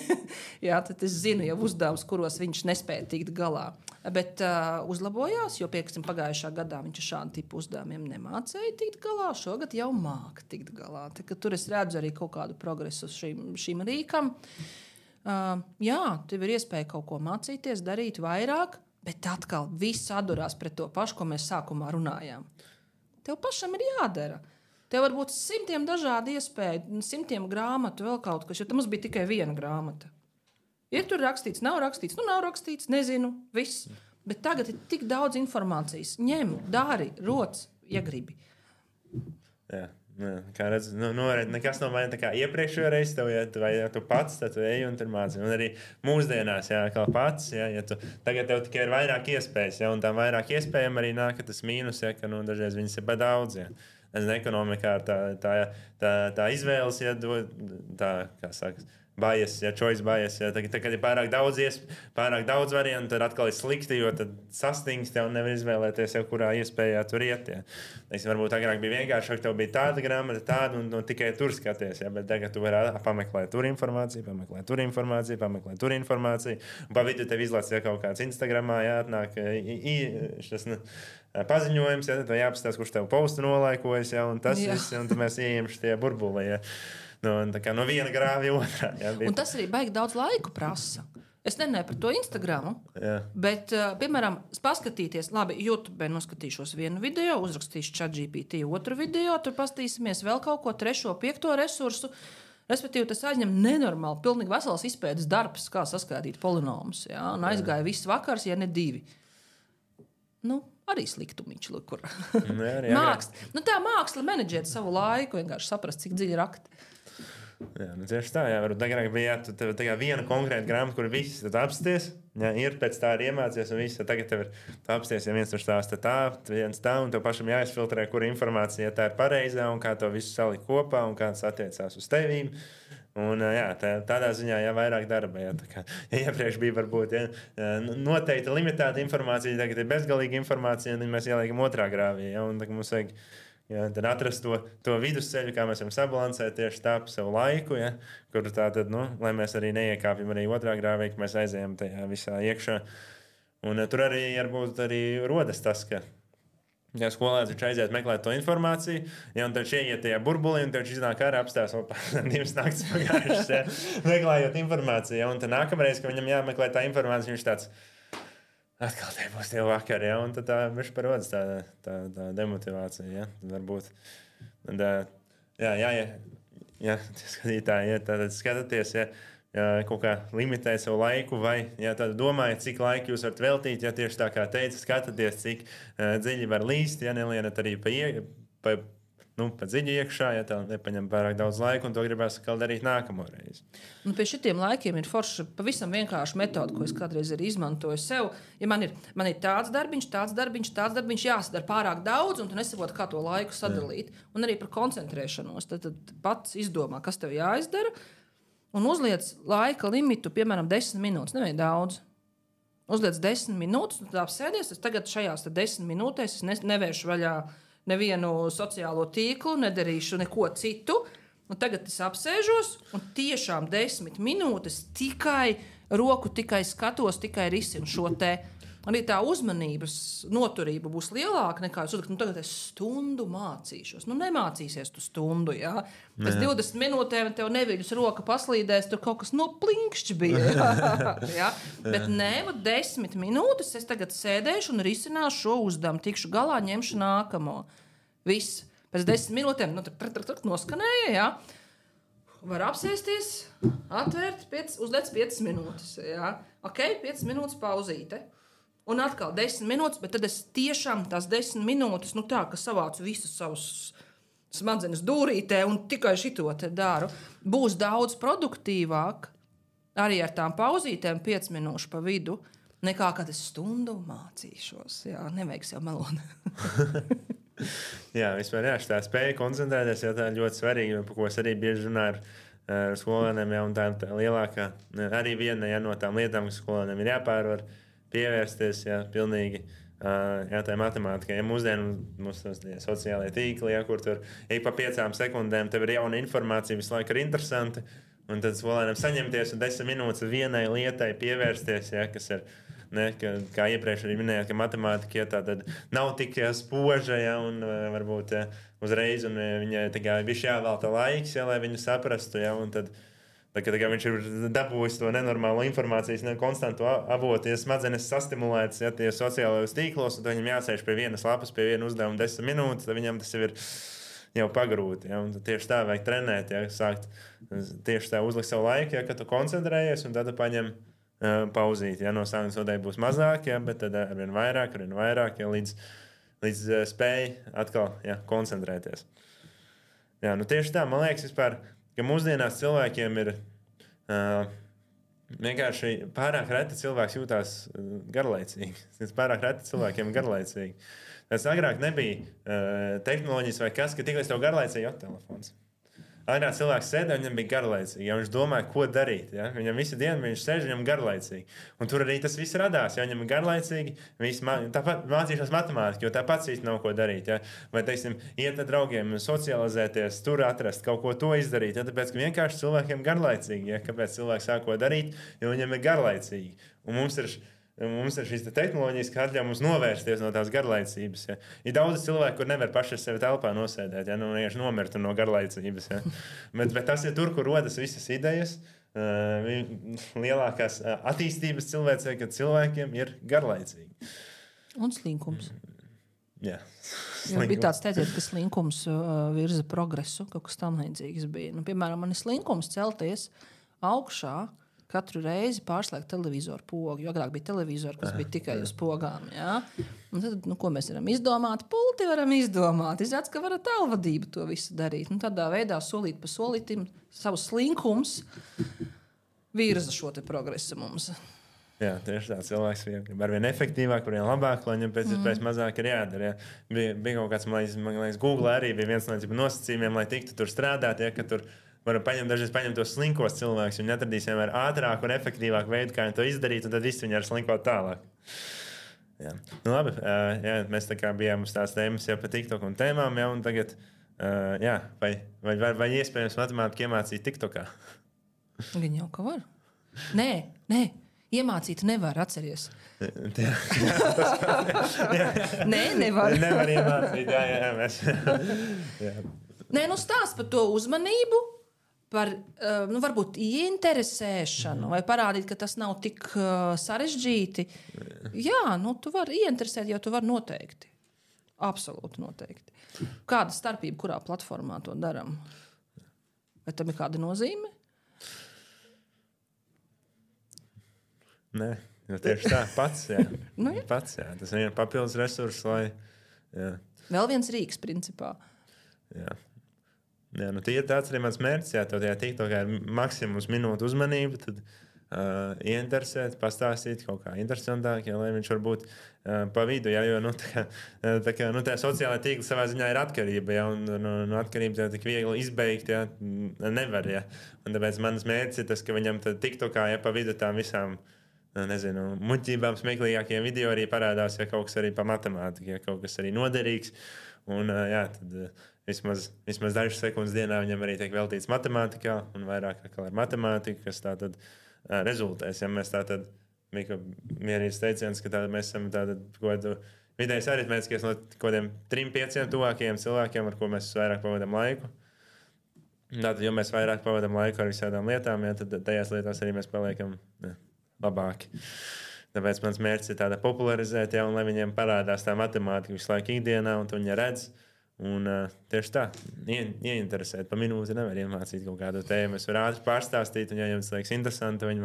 Jā, tad es zinu jau uzdevumus, kuros viņš nespēja tikt galā. Bet uzlabojās, jo pagājušā gadā viņš šādu tipu uzdevumiem nemācēja tikt galā. Šogad jau māca tikt galā. Tur es redzu arī kaut kādu progresu šīm rīkam. Jā, tev ir iespēja kaut ko mācīties, darīt vairāk, bet atkal viss atdurās pret to pašu, ko mēs sākumā runājām. Tev pašam ir jādara. Tev var būt 100 dažādi iespēju, 100 grāmatu, vēl kaut kas, jo tam mums bija tikai viena grāmata. Ir tur rakstīts, nav rakstīts, nav rakstīts, nezinu, viss. Bet tagad ir tik daudz informācijas. Ņem, dari, roc, ja gribi.
Jā. Kā redz, nekas nav vai tā kā iepriekšējā reizē, vai tu pats tu ej un tur māci. Un arī mūsdienās, kā pats, ja tagad tev tikai ir vairāk iespējas, un tām vairāk iespējām arī nāk tas mīnus, ka dažreiz viņas ir par daudz. Ja. Ekonomikā tā izvēles, ja tā, kā saka, bias, ja choice bias, ja tad, kad ir pārāk daudz variantu, tad atkal ir slikti, jo tad sastingst un nevar izvēlēties jau kurā iespējā tur iet. Ja. Varbūt agrāk bija vienkāršāk, tev bija tāda grāmata, tāda un tikai tur skaties, ja, bet tagad tu vari pameklēt tur informāciju, pameklēt tur informāciju, un pa vidu tev izlaists kaut kāds Instagramā, ja, atnāk paziņojums, ja, tad jāapstāsta, kurš tev postu nolaikojas, ja, un tas viss, un tad mēs ieejam šitie burbuli, ja. No viena grāvja otrā. Ja,
un tas arī baigi daudz laiku prasa. Es nenēju par to Instagramu, bet, piemēram, paskatīties, labi, YouTube noskatīšos vienu video, uzrakstīšu ChatGPT otru video, tur pastīsimies vēl kaut ko 3., 5. resursu. Respektīvi, tas aizņem nenormāli, pilnīgi vesels izpētes darbs, kā saskaitīt polinomus. Ja, un aizgāja viss vakars, ja ne 2. Arī sliktumiņš, kur tā māksla menedžēt savu laiku, vienkārši saprast, cik dziļi rakt.
Jā, tieši tā, varbūt agrāk bija viena konkrēta grāmata, kur viss apsties, ir pēc tā arī iemācies, un viss, tagad tev ir apsties, ja viens tur stāsta viens tā, un tev pašam jāizfiltrē, kura informācija tā ir pareizā, un kā to visu salikt kopā, un kā tas attiecās uz tevīm. Un, tādā ziņā vairāk darba. Ja iepriekš bija varbūt noteikti limitēta informācija, tagad ir bezgalīga informācija, un mēs ieliekam otrā grāvī. Un mums vajag atrast to vidusceļu, kā mēs varam sabalansēt tieši tā pa savu laiku, kur tātad, lai mēs arī neiekāpjam arī otrā grāvī, ka mēs aizējam tajā visā iekšā. Un tur arī varbūt arī rodas tas, ka ja skolēns viņš aiziet meklēt to informāciju, un tad ieiet tajā burbulī, un viņš iznāk ārā apstās 2 naktis pagājušas, meklējot informāciju. Un tad nākamreiz, kad viņam jāmeklē tā informācija, viņš tāds atkal tie būs tie vakari, un tad viņš parodas tā demotivācija. Ja? Varbūt. Skatītāji, tad skatāties, kaut kā limitēt savu laiku, vai domājat, cik laika jūs varat veltīt, ja tieši tā kā teica, skatāties, cik dziļi var līst, ja nelienat arī pa dziļi iekšā, ja tā nepaņem pārāk daudz laika, un to gribēs darīt nākamo reizi.
Pie šitiem laikiem ir forša pavisam vienkārša metode, ko es kādreiz arī izmantoju sev. Ja man ir tāds darbiņš, jāsadara pārāk daudz, un tu nesaproti, kā to laiku sadalīt. Un arī par koncentrēšanos. Tad pats izdomā, kas tev jāizdara, un uzliec laika limitu, piemēram, 10 minūtes, nevajag daudz. Uzliec 10 minūtes, un tā apsēdies, es tagad šajās 10 minūtēs es nevēršu vaļā nevienu sociālo tīklu, nedarīšu neko citu, un tagad es apsēžos, un tiešām 10 minūtes tikai skatos, tikai risinu šo te. Arī tā uzmanības noturība būs lielāka nekā es uzrakstu, tagad es stundu mācīšos. Nemācīsies tu stundu, jā. Pēc 20 minūtēm tev neviļus roka paslīdēs, tur kaut kas noplinkšķi bija. Jā. Bet 10 minūtes es tagad sēdēšu un risināšu šo uzdevumu, tikšu galā, ņemšu nākamo. Viss. Pēc 10 minūtēm noskanēja, jā. Var apsēsties, atvērt, uzliec 5 minūtes. Jā. Ok, 5 minūtes pauzīte. Un atkal 10 minūtes, bet tad es tiešām tās 10 minūtes, tā, ka savācu visus savus smadzenes dūrītē un tikai šito te daru, būs daudz produktīvāk arī ar tām pauzītēm 5 minūšu pa vidu, nekā kad es stundu mācīšos. Jā, nevajag sev melot.
Jā, vispār tā spēja koncentrēties, tā ļoti svarīga, par ko es arī bieži runāju ar skolēniem, un tā lielākā, arī viena no tām lietām, kas skolēniem ir jāpārvar, pievērsties pilnīgi Jā, tā ir matemātika. Ja mums sociālajie tīkli, ja, kur tur ik pa 5 sekundēm tev ir jauna informācija, visu laiku ir interesanti. Un tad skolēnam saņemties un 10 minūtes vienai lietai pievērsties, ja, kas ir. Ne, kā iepriekš arī minējāt, ka matemātika ja, tad nav tik spoža, ja, un varbūt ja, uzreiz viņai bija jāvelta laiks, ja, lai viņu saprastu. Ja, tad, kad viņš ir dabūjis to nenormālo informācijas, konstantu avotu, ja smadzenes sastimulētas ja, tie sociālajos tīklos, un viņam jāsēž pie vienas lapas, pie viena uzdevuma 10 minūtes, tad viņam tas jau pagrūti. Ja, tieši tā vajag trenēt, ja, sākt tieši tā uzlikt savu laiku, ja, kad tu koncentrējies, un tad tu paņem pauzīt. Ja, no sākuma noteikti būs mazāk, ja, bet tad arvien vairāk ja, līdz spēj atkal ja, koncentrēties. Jā, tieši tā, man liekas, vispār, ka mūsdienās cilvēkiem ir vienkārši pārāk reti cilvēks jūtās garlaicīgi. Pārāk reti cilvēkiem ir garlaicīgi. Tas agrāk nebija tehnoloģijas vai kas, ka tikai tev garlaicīgi telefons. Agrāk cilvēks sēdēja, viņam bija garlaicīgi. Ja viņš domāja, ko darīt. Ja? Viņam visu dienu viņš sēž, viņam garlaicīgi. Un tur arī tas viss radās. Ja viņam ir garlaicīgi, tāpat mācīšanās matemātiku, jo tāpat īsti nav ko darīt. Ja? Vai, teiksim, iet ar draugiem, socializēties, tur atrast kaut ko to izdarīt. Ja? Tāpēc, ka vienkārši cilvēkiem garlaicīgi. Ja? Kāpēc cilvēks sāk ko darīt? Jo viņam ir garlaicīgi. Un mums ir šīs tehnoloģijas, kas atļauj mums novērsties no tās garlaicības. Ja. Ir daudz cilvēku, kur nevar paši sevi telpā nosēdēt, ja vienkārši nomirtu no garlaicības. Ja. Bet tas ir tur, kur rodas visas idejas. Lielākās attīstības cilvēcei, kad cilvēkiem ir garlaicīgi.
Un slinkums.
Jā.
Bija tāds teiciens, ka slinkums virza progresu, kaut kas tam līdzīgs bija. Piemēram, man ir slinkums celties augšā, katru reizi pārslēgt televizoru pogu. Jo agrāk bija televizori, kas bija tikai uz pogām. Ja? Un tad, ko mēs varam izdomāt? Pulti varam izdomāt. Izrādās, ka varat tālvadību to visu darīt. Tādā veidā solīt pa solītim savus slinkums virza šo te progresu mums.
Jā, tieši tā. Cilvēks ir arvien efektīvāk, arvien labāk, lai viņam pēc iespējas mazāk ir jādara. Ja? Bija kaut kāds, man liekas, Google arī bija viens no nosacījumiem, lai tiktu tur strādāt, ja? Ka tur varam dažreiz paņemt tos slinkos cilvēkus. Viņi atradīs vienmēr ātrāku un efektīvāku veidu, kā viņi to izdarīt, un tad viss viņi ar slinkot tālāk. Jā. Labi, jā, mēs tā kā bijām uz tās tēmas jau par TikTok un tēmām, ja, un tagad, jā, vai iespējams matemātiku iemācīt TikTokā?
Gan jau, ka var. Nē, iemācīt nevar, atceries. Nē, nevar.
Nevar iemācīt, jā, mēs. Jā.
Nē, stāst par to uzmanību, par varbūt ieinteresēšanu, vai parādīt, ka tas nav tik sarežģīti. Jā, tu vari ieinteresēt, jo tu vari noteikti. Absolūti noteikti. Kāda starpība, kurā platformā to darām? Vai tam ir kāda nozīme?
Nē, tieši tā, pats. Jā. Jā. Pats, jā. Tas ir papildus resurss, lai. Jā.
Vēl viens rīks, principā.
Jā. Jā, ir tāds arī mans mērķis, ja tev tajā TikTokā ir maksimums minūtu uzmanība, tad ieinteresēt, pastāstīt kaut kā interesantāk, ja, lai viņš varbūt pa vidu, ja, jo tā sociālā tīkla savā ziņā ir atkarība, ja, un atkarība tik viegli izbeigt, ja, nevar, ja. Un tāpēc mans mērķis ir tas, ka viņam TikTokā, ja, pa vidu tām visām, nezinu, muļķībām smieklīgākiem video arī parādās, ja kaut kas arī pa matemātiku, ja kaut kas arī noderīgs, un jā, tad vismaz dažas sekundes dienā viņam arī tiek veltīts matemātikā, un vairāk ar matemātiku, kas tā tad rezultēs. Ja mēs tā tad bija mierīgs teiciens, ka mēs esam kaut kādu vidējais aritmētiskais no kaut kādiem 3-5 tuvākajiem cilvēkiem, ar ko mēs vairāk pavadām laiku. Tātad, jo mēs vairāk pavadām laiku ar visādām lietām, ja, tad tajās lietās arī mēs paliekam labāki. Tāpēc mans mērķis ir tāda popularizēt, ja, un lai viņiem parādās tā matemātika visu laiku ikdienā, un to viņi redz. Un tieši tā, ieinteresēt. Pa minūti nevar iemācīt kaut kādu tēmu. Es varu ātri pārstāstīt, un ja jums liekas interesanti, viņi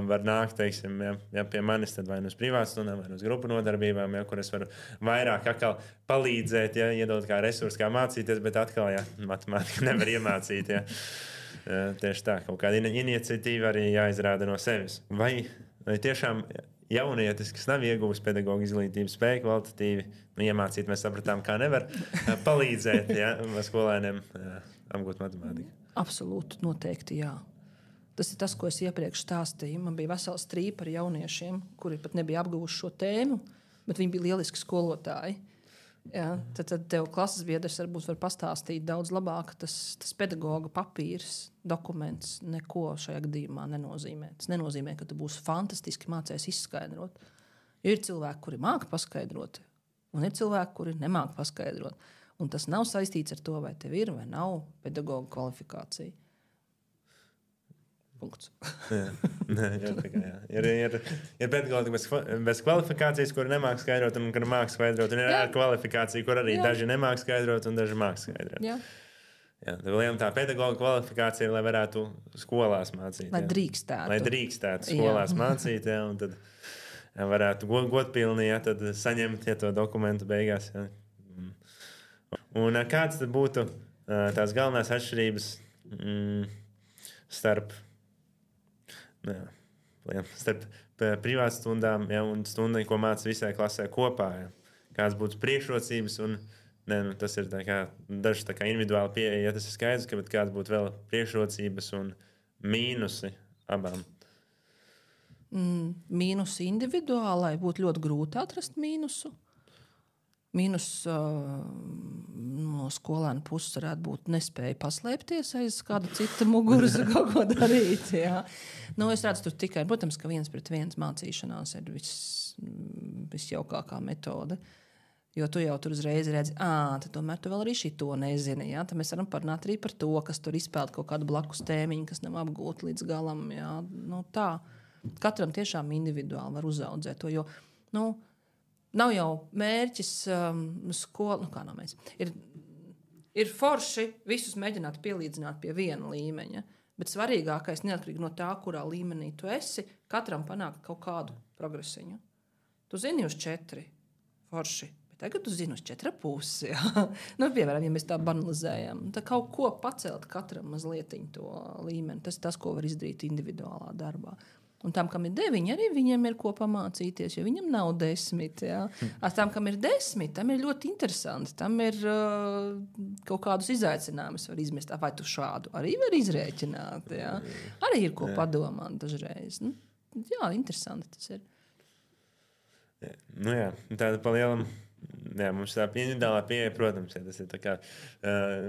var nākt, teiksim, ja pie manis, tad vai uz privātstundām, vai uz grupu nodarbībām, ja, kur es varu vairāk atkal palīdzēt, ja, iedot kā resursu, kā mācīties, bet atkal, ja, matemātika nevar iemācīt, ja. Tieši tā, kaut kāda iniciatīva arī jāizrāda no sevis. Vai tiešām jaunietis, kas nav ieguvis pedagoģa izglītības spēju kvalitatīvi, iemācīt, mēs sapratām, kā nevar palīdzēt, ja, skolēniem apgūt matemātiku.
Absolūti, noteikti, jā. Tas ir tas, ko es iepriekš stāstīju. Man bija vesels trīpa ar jauniešiem, kuri pat nebija apguvuši šo tēmu, bet viņi bija lieliski skolotāji. Ja, tad tev klases biedrs varbūt var pastāstīt daudz labāk. Tas pedagoga papīrs, dokuments neko šajā gadījumā nenozīmē. Tas nenozīmē, ka tu būsi fantastiski mācies izskaidrot. Jo ir cilvēki, kuri māca paskaidrot, un ir cilvēki, kuri nemāca paskaidrot. Un tas nav saistīts ar to, vai tev ir vai nav pedagoga kvalifikācija. Punkts.
Ir pedagogi bez kvalifikācijas, kur nemāk skaidrot, un kur māk skaidrot. Un ir kvalifikācija, kur arī daži nemāk skaidrot, un daži māk skaidrot. Jā, tā pedagoga kvalifikācija ir, lai varētu skolās mācīt.
Lai drīkstētu.
Lai drīkstētu skolās mācīt, un tad varētu godpilni tad saņemt to dokumentu beigās. Jā. Un kāds tad būtu tās galvenās atšķirības starp privātu stundām un stundām, ko māca visai klasē kopā? Ja? Kādas būtu priekšrocības? Tas ir dažs individuāli pieeja, ja tas ir skaidrs, bet kādas būtu vēl priekšrocības un mīnusi abām?
Mīnusi individuālai būtu ļoti grūti atrast mīnusu. Mīnus no skolēna puses varētu būt nespēja paslēpties aiz kāda cita muguras kaut ko darīt. Jā. Es redzu tur tikai, protams, ka 1-pret-1 mācīšanās ir visjaukākā metode. Jo tu jau tur uzreiz redzi, tad tomēr tu vēl arī šito nezini. Jā. Tad mēs varam parunāt arī par to, kas tur izpeld kaut kādu blakus tēmiņu, kas nav apgūta līdz galam. Jā. Tā. Katram tiešām individuāli var uzaudzēt to, jo, nav jau mērķis skola, kā nav mērķis. Ir forši visus mēģināt pielīdzināt pie viena līmeņa, bet svarīgākais, neatkarīgi no tā, kurā līmenī tu esi, katram panākt kaut kādu progresiņu. Tu zini uz 4, forši, bet tagad tu zini uz 4,5. Piemēram, ja mēs tā banalizējam, tad kaut ko pacelt katram mazlietiņu to līmeni. Tas ir tas, ko var izdarīt individuālā darbā. Un tam, kam ir 9, arī viņiem ir ko pamācīties, jo viņam nav 10. Ja? Ar tam, kam ir 10, tam ir ļoti interesanti. Tam ir kaut kādus izaicinājumus var izmest. Vai tu šādu arī var izrēķināt? Ja? Arī ir ko padomāt dažreiz. Interesanti tas ir.
Tāda palielam. Mums tā individuālā pieeja, protams, tas ir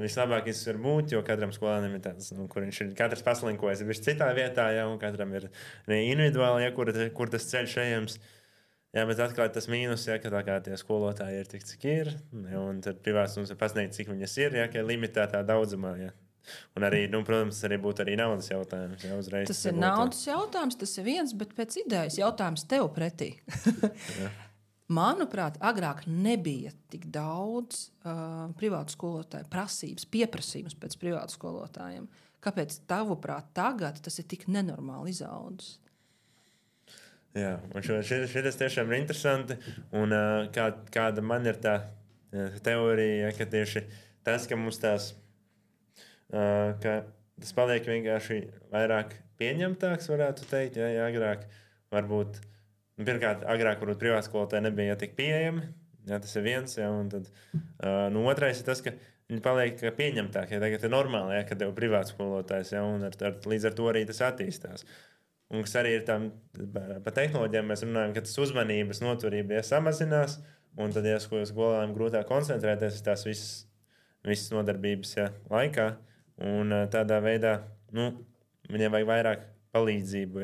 vislabākais var būt, jo katram skolēnam ir tāds, kur viņš ir katrs paslinkojas ir citā vietā, un katram ir individuāli, kur tas ceļš ejams. Bet atklāt tas mīnus, ka tā kā tie skolotāji ir tik, cik ir, un tad privāts mums ir pasniegt, cik viņas ir, ka ir limitētā daudzumā. Un arī, protams, tas arī būtu arī naudas jautājums. Uzreiz
tas ir naudas jautājums, tas ir viens, bet pēc idejas jautājums tev pretī. Manuprāt, agrāk nebija tik daudz privātu skolotāju prasības, pieprasījums pēc privātu skolotājiem. Kāpēc tavuprāt tagad tas ir tik nenormāli izaudzis?
Jā, un šis tiešām ir interesanti. Un kāda man ir tā teorija, ka tieši tas, ka mums tās, ka tas paliek vienkārši vairāk pieņemtāks, varētu teikt, agrāk varbūt. Pirmkārt, agrāk varbūt privāti skolotāji nebija tik pieejami. Tas ir viens. Un tad, otrais ir tas, ka viņi paliek pieņemtāki. Tagad ir normāli, kad tev ir privāts skolotājs. Un līdz ar to arī tas attīstās. Un kas arī ir tam, par tehnoloģijām mēs runājam, ka tas uzmanības noturība samazinās. Un tad, skolēniem grūtāk koncentrēties uz tās visas nodarbības laikā. Un tādā veidā viņiem vajag vairāk palīdzību.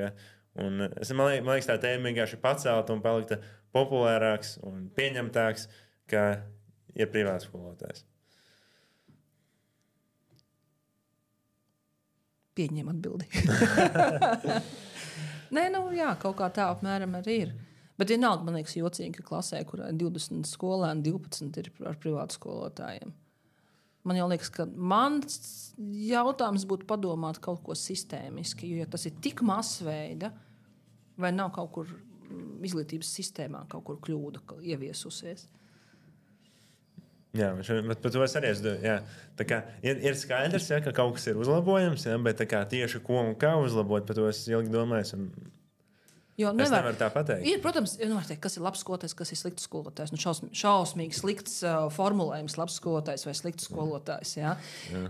Un man liekas, tā tēma vienkārši pacelta un palikta populārāks un pieņemtāks, ka ir privāts skolotājs.
Pieņem atbildi. Nē, kaut kā tā apmēram arī ir. Bet vienalga, man liekas, jocīgi, ka klasē, kurā ir 20 skolēni, 12 ir ar privātu skolotājiem. Man jau liekas, ka mans jautājums būtu padomāt kaut ko sistēmiski, jo ja tas ir tik masveida, vai nav kaut kur izglītības sistēmā kaut kur kļūda ieviesusies.
Jā, bet par to es arī ir skaidrs, ka kaut kas ir uzlabojams, bet tieši ko un kā uzlabot, par to es ilgi domāju.
Jo
Es nevaru tā pateikt.
Ir, protams, nevar teikt, kas ir labs skolotājs, kas ir slikts skolotājs. Nu, šausmīgi slikts formulējums, labs skolotājs vai slikts skolotājs. Ja?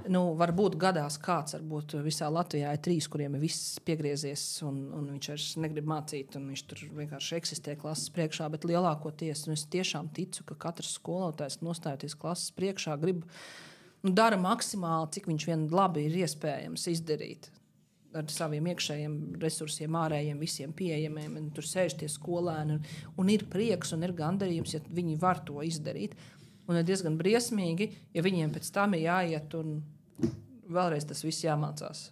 Nu, varbūt gadās kāds, varbūt visā Latvijā ir 3, kuriem ir viss piegriezies, un viņš vairs negrib mācīt, un viņš tur vienkārši eksistē klases priekšā, bet lielākoties, es tiešām ticu, ka katrs skolotājs nostājoties klases priekšā grib, dara maksimāli, cik viņš vien labi ir iespējams izdarīt. Ar saviem iekšējiem resursiem, ārējiem, visiem pieejamiem. Tur sēž tie skolēni un ir prieks un ir gandarījums, ja viņi var to izdarīt. Un ir diezgan briesmīgi, ja viņiem pēc tam ir jāiet un vēlreiz tas viss jāmācās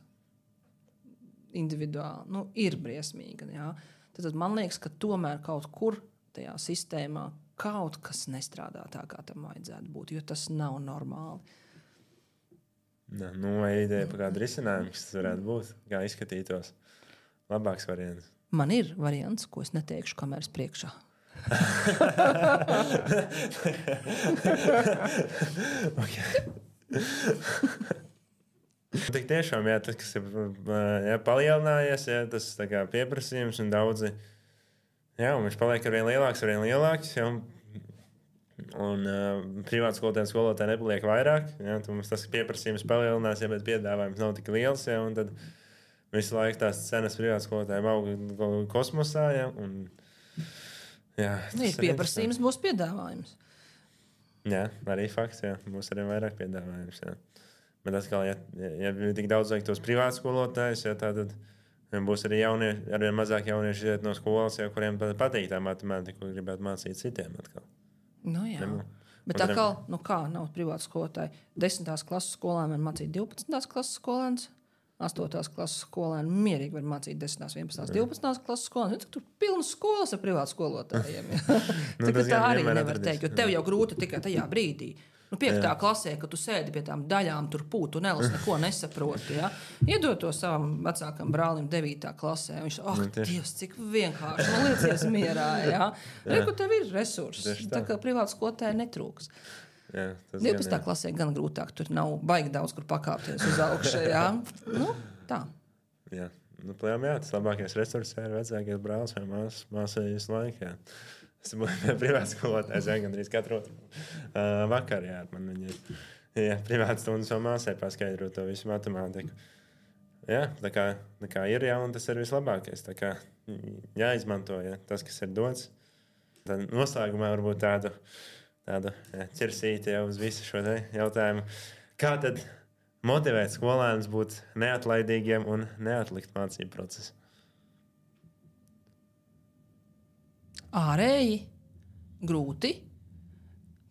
individuāli. Nu, ir briesmīgi. Jā. Tad man liekas, ka tomēr kaut kur tajā sistēmā kaut kas nestrādā tā, kā tam vajadzētu būt, jo tas nav normāli.
Nu, vai ideja par kādu risinājumu, kas tas varētu būt? Kā izskatītos? Labāks variants.
Man ir variants, ko es neteikšu kameras priekšā.
Tik tiešām, jā, tas, kas ir palielinājies, jā, tas tā kā pieprasījums un daudzi, jā, un viņš paliek arvien lielāks, jā, un privātu skolotāji nepaliek vairāk. Ja, mums tas pieprasījums palielinās, ja, bet piedāvājums nav tik liels. Ja, un tad visu laiku tās cenas privātu skolotājiem aug kosmosā. Ja, un, jā,
ir pieprasījums, būs piedāvājums.
Jā, arī fakts. Jā, būs arī vairāk piedāvājums. Jā. Bet atkal, ja tik daudz vajag tos privātu skolotājus, ja, tad būs arī arvien mazāk jaunieši iet no skolas, ja, kuriem patīk tā matemātika, ko gribētu mācīt citiem atkal.
Nu, jā. Bet atkal, kā nav privāta skolotāja? 10. klases skolēni var mācīt 12. klases skolēns, 8. klases skolēni mierīgi var mācīt 10., 11., 12. klases skolēni. Tur pilnas skolas ar privātu skolotājiem. Tā arī nevar teikt, jo tev jau grūti tikai tajā brīdī. 5. klasē, kad tu sēdi pie tām daļām, tur pūtu un elas, neko nesaproti. Ja? Iedod to savam vecākam brālim 9. klasē. Viņš Dievs, cik vienkārši. Man liecies mierā. Ja? Reku, tev ir resursi. Tā kā privāta skolotāja netrūks.
Jā,
12. klasē gan grūtāk. Tur nav baigi daudz, kur pakāpties uz augšu. Ja? Nu, tā.
Jā. Tas labākais resurs ir vecākais brālis vai māsa visu laiku. Jā. Es biju privāts skolotājs, gandrīz katru vakaru. Man viņa privāts stundas vēl māsai paskaidro to visu matemātiku. Jā, tā kā ir, jā, un tas ir vislabākais. Tā kā jāizmanto tas, kas ir dots. Tad noslēgumā varbūt tādu ķersīti jau uz visu šo jautājumu. Kā tad motivēt skolēnus būt neatlaidīgiem un neatlikt mācību procesu?
Ārēji grūti.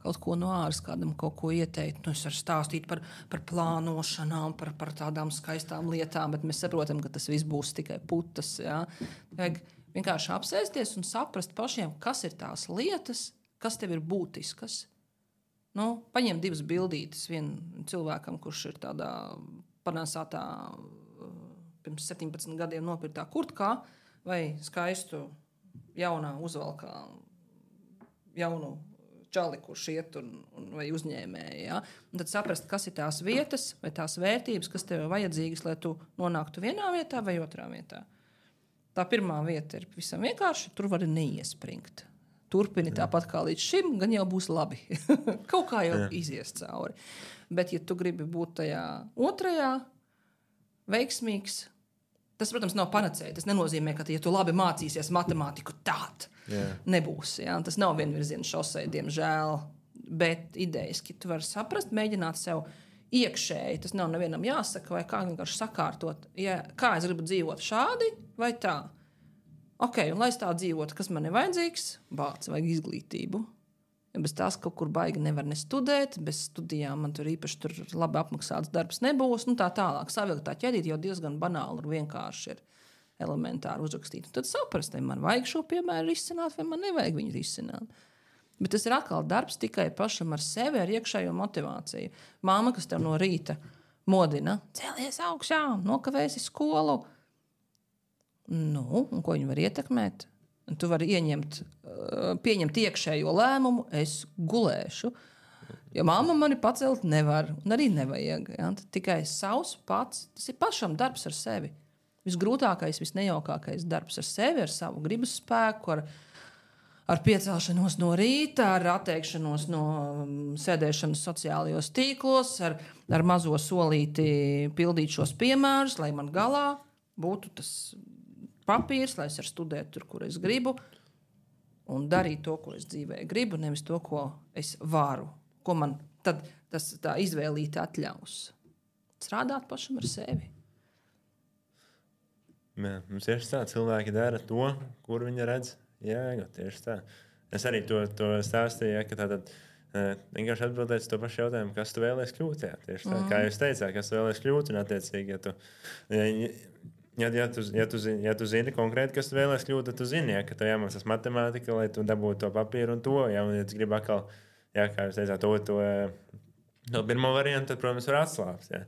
Kaut ko no āras kādam kaut ko ieteikt. Es varu stāstīt par plānošanām, par tādām skaistām lietām, bet mēs saprotam, ka tas viss būs tikai putas. Ja? Vajag vienkārši apsēsties un saprast pašiem, kas ir tās lietas, kas tev ir būtiskas. Paņem 2 bildītes vienam cilvēkam, kurš ir tādā panāsātā pirms 17 gadiem nopirktā kurtkā vai skaistu jaunā uzvalkā jaunu čali, kurš iet vai uzņēmēji. Ja? Un tad saprast, kas ir tās vietas vai tās vērtības, kas tev ir vajadzīgas, lai tu nonāktu vienā vietā vai otrā vietā. Tā pirmā vieta ir visam vienkārši, tur vari neiespringt. Turpini tāpat kā līdz šim, gan jau būs labi. Kaut kā jau izies cauri. Bet, ja tu gribi būt tajā otrajā veiksmīgs, tas, protams, nav panacēja. Tas nenozīmē, ka, ja tu labi mācīsies matemātiku, tād nebūs. Ja? Tas nav vienvirziena šosei, diemžēl. Bet idejiski tu vari saprast, mēģināt sev iekšēji. Tas nav nevienam jāsaka, vai kā vienkārši sakārtot. Kā es gribu dzīvot šādi vai tā? Ok, un lai es tā dzīvotu, kas man ir vajadzīgs? Vajag izglītību. Ja bez tās kaut kur baigi nevar nestudēt, bez studijām man tur īpaši labi apmaksāts darbs nebūs, tā tālāk. Savilkt tā ķedīt jau diezgan banāli un vienkārši ir elementāri uzrakstīt. Un tad saprast, vai man vajag šo piemēru risināt, vai man nevajag viņu risināt. Bet tas ir atkal darbs tikai pašam ar sevi, ar iekšējo motivāciju. Māma, kas tev no rīta modina, cēlies augšā, nokavēsi skolu. Un ko viņi var ietekmēt? Un tu vari pieņemt iekšējo lēmumu, es gulēšu. Jo mamma mani pacelt nevar, un arī nevajag. Ja? Tad tikai savs pats, tas ir pašam darbs ar sevi. visgrūtākais, visnejaukākais darbs ar sevi, ar savu gribas spēku, ar piecelšanos no rīta, ar atteikšanos no sēdēšanas sociālajos tīklos, ar mazo solīti pildīt šos piemērus, lai man galā būtu tas papīrs, lai es varu studēt tur, kur es gribu, un darīt to, ko es dzīvē gribu, nevis to, ko es varu, ko man tad tā izvēlīti atļaus. Strādāt pašam ar sevi.
Jā, tieši tā, cilvēki dara to, kur viņi redz jēgu, tieši tā. Es arī to stāstīju, ka tātad vienkārši atbildēt to pašu jautājumu, kas tu vēlies kļūt, jā, tieši tā, kā jūs teicāt, kas tu vēlies kļūt, un attiecīgi, ja tu zini konkrēti, kas tu vēlies kļūt, tad tu zini, ja, ka tev jāmācās matemātika, lai tu dabūtu to papīru un to, ja, un ja tu gribi atkal, ja, kā jūs teicāt, to pirmo variantu, tad, protams, var atslāpt, ja.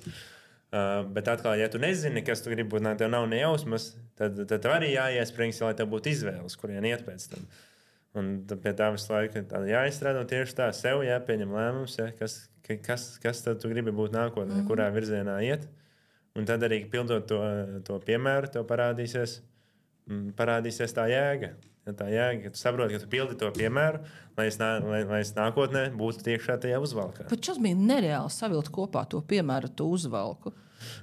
Bet atkal, ja tu nezini, kas tu gribi būt, tev nav nejausmas, tad tev arī jāiesprings, lai tev būtu izvēles, kurien iet pēc tam. Un pie tā visu laiku jāizstrādā tieši tā, sev jāpieņem lēmums, ja, kas tad tu gribi būt nākotnē, kurā virzienā iet. Un tad arī pildot to piemēru, tev parādīsies tā jēga. Ja tā jēga, ka tu saproti, ka tu pildi to piemēru, lai es nākotnē būtu tiekšā tajā uzvalkā.
Bet šis bija nereāli savilkt kopā to piemēru, to uzvalku.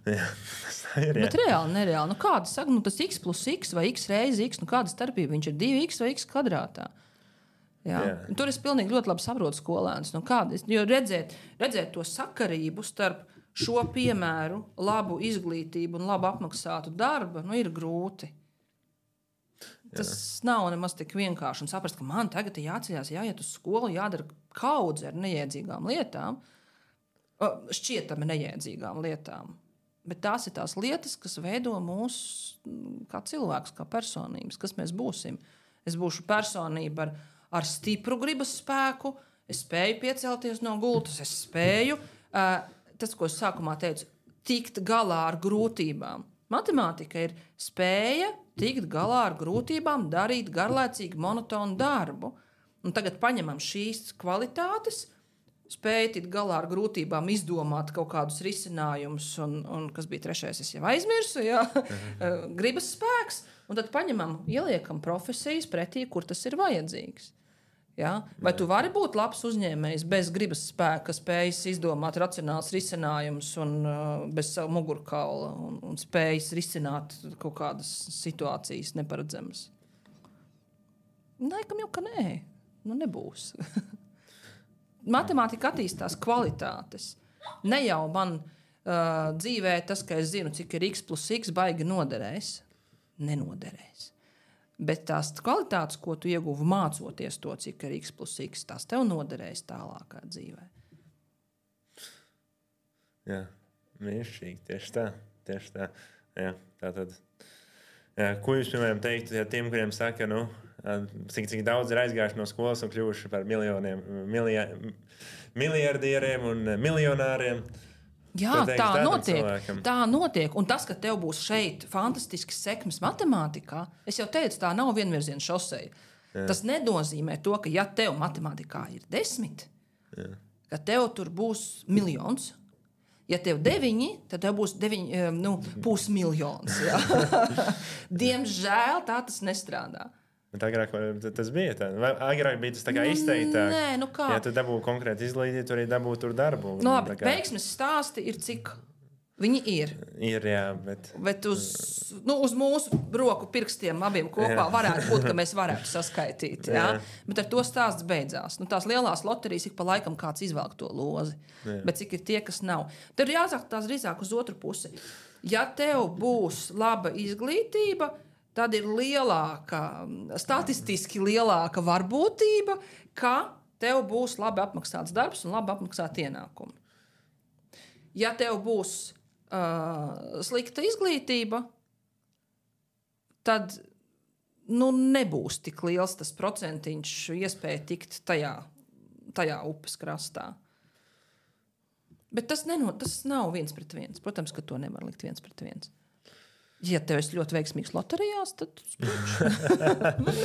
Jā, tas ir.
Bet reāli, nereāli. Nu, kāda saka, tas x plus x vai x reizi x, kāda starpība? Viņš ir 2x vai x kvadrātā. Jā. Tur es pilnīgi ļoti labi saprotu skolēnus. Jo redzēt to sakarību starp šo piemēru, labu izglītību un labu apmaksātu darbu, ir grūti. Tas nav nemaz tik vienkārši. Un saprast, ka man tagad ir jāceļās, jāiet uz skolu, jādara kaudze ar nejēdzīgām lietām, šķietami nejēdzīgām lietām. Bet tās ir tās lietas, kas veido mūs kā cilvēkus, kā personības, kas mēs būsim. Es būšu personība ar stipru gribas spēku, es spēju piecelties no gultas, es spēju, tas, ko es sākumā teicu, tikt galā ar grūtībām. Matemātika ir spēja tikt galā ar grūtībām, darīt garlaicīgu, monotonu darbu. Un tagad paņemam šīs kvalitātes, spēja tikt galā ar grūtībām, izdomāt kaut kādus risinājumus, un kas bija trešais, es jau aizmirsu, gribas spēks, un tad paņemam, ieliekam profesijas pretī, kur tas ir vajadzīgs. Ja? Vai tu vari būt labs uzņēmējs bez gribas spēka, spējas izdomāt racionāls risinājumus un bez savu mugurkaula un spējas risināt kaut kādas situācijas neparedzamas? Laikam jau, ka nē. Nebūs. Matemātika attīstās kvalitātes. Ne jau man dzīvē tas, ka es zinu, cik ir x plus x, baigi noderēs. Nenoderēs. Bet tās kvalitātes, ko tu ieguvi mācoties to, cik ir x plus x, tās tev noderēs tālākā dzīvē.
Jā, mīšķīgi, tieši tā. Jā, tātad. Jā, ko jūs, piemēram, teiktu tiem, kuriem saka, cik daudz ir aizgājuši no skolas un kļuvuši par miljardieriem un miljonāriem?
Jā, tā notiek. Un tas, ka tev būs šeit fantastisks sekmes matemātikā, es jau teicu, tā nav vienvirziena šoseja. Tas nenozīmē to, ka ja tev matemātikā ir 10, ka tev tur būs 1 miljons. Ja tev 9, tad tev būs 500 000. Diemžēl tā tas nestrādā.
Agrāk tas bija tā. Agrāk bija tas tā kā izteiktāk.
Nē, kā?
Ja tu dabū konkrēti izglītību, tu arī dabū tur darbu.
Labi, veiksmes stāsti ir cik viņi ir.
Ir, jā, bet
uz mūsu roku pirkstiem abiem kopā varētu būt, ka mēs varētu saskaitīt. Jā? Bet ar to stāsts beidzās. Tās lielās loterijas ik pa laikam kāds izvelk to lozi. Bet cik ir tie, kas nav. Tad ir jāsaka tās drīzāk uz otru pusi. Ja tev būs laba izglītība, tad ir statistiski lielāka varbūtība, ka tev būs labi apmaksāts darbs un labi apmaksāti ienākumi. Ja tev būs slikta izglītība, tad nebūs tik liels tas procentiņš iespēja tikt tajā upes krastā. Bet tas nav 1:1. Protams, ka to nevar likt 1:1. Ja tev ir ļoti veiksmīgs loterijās, tad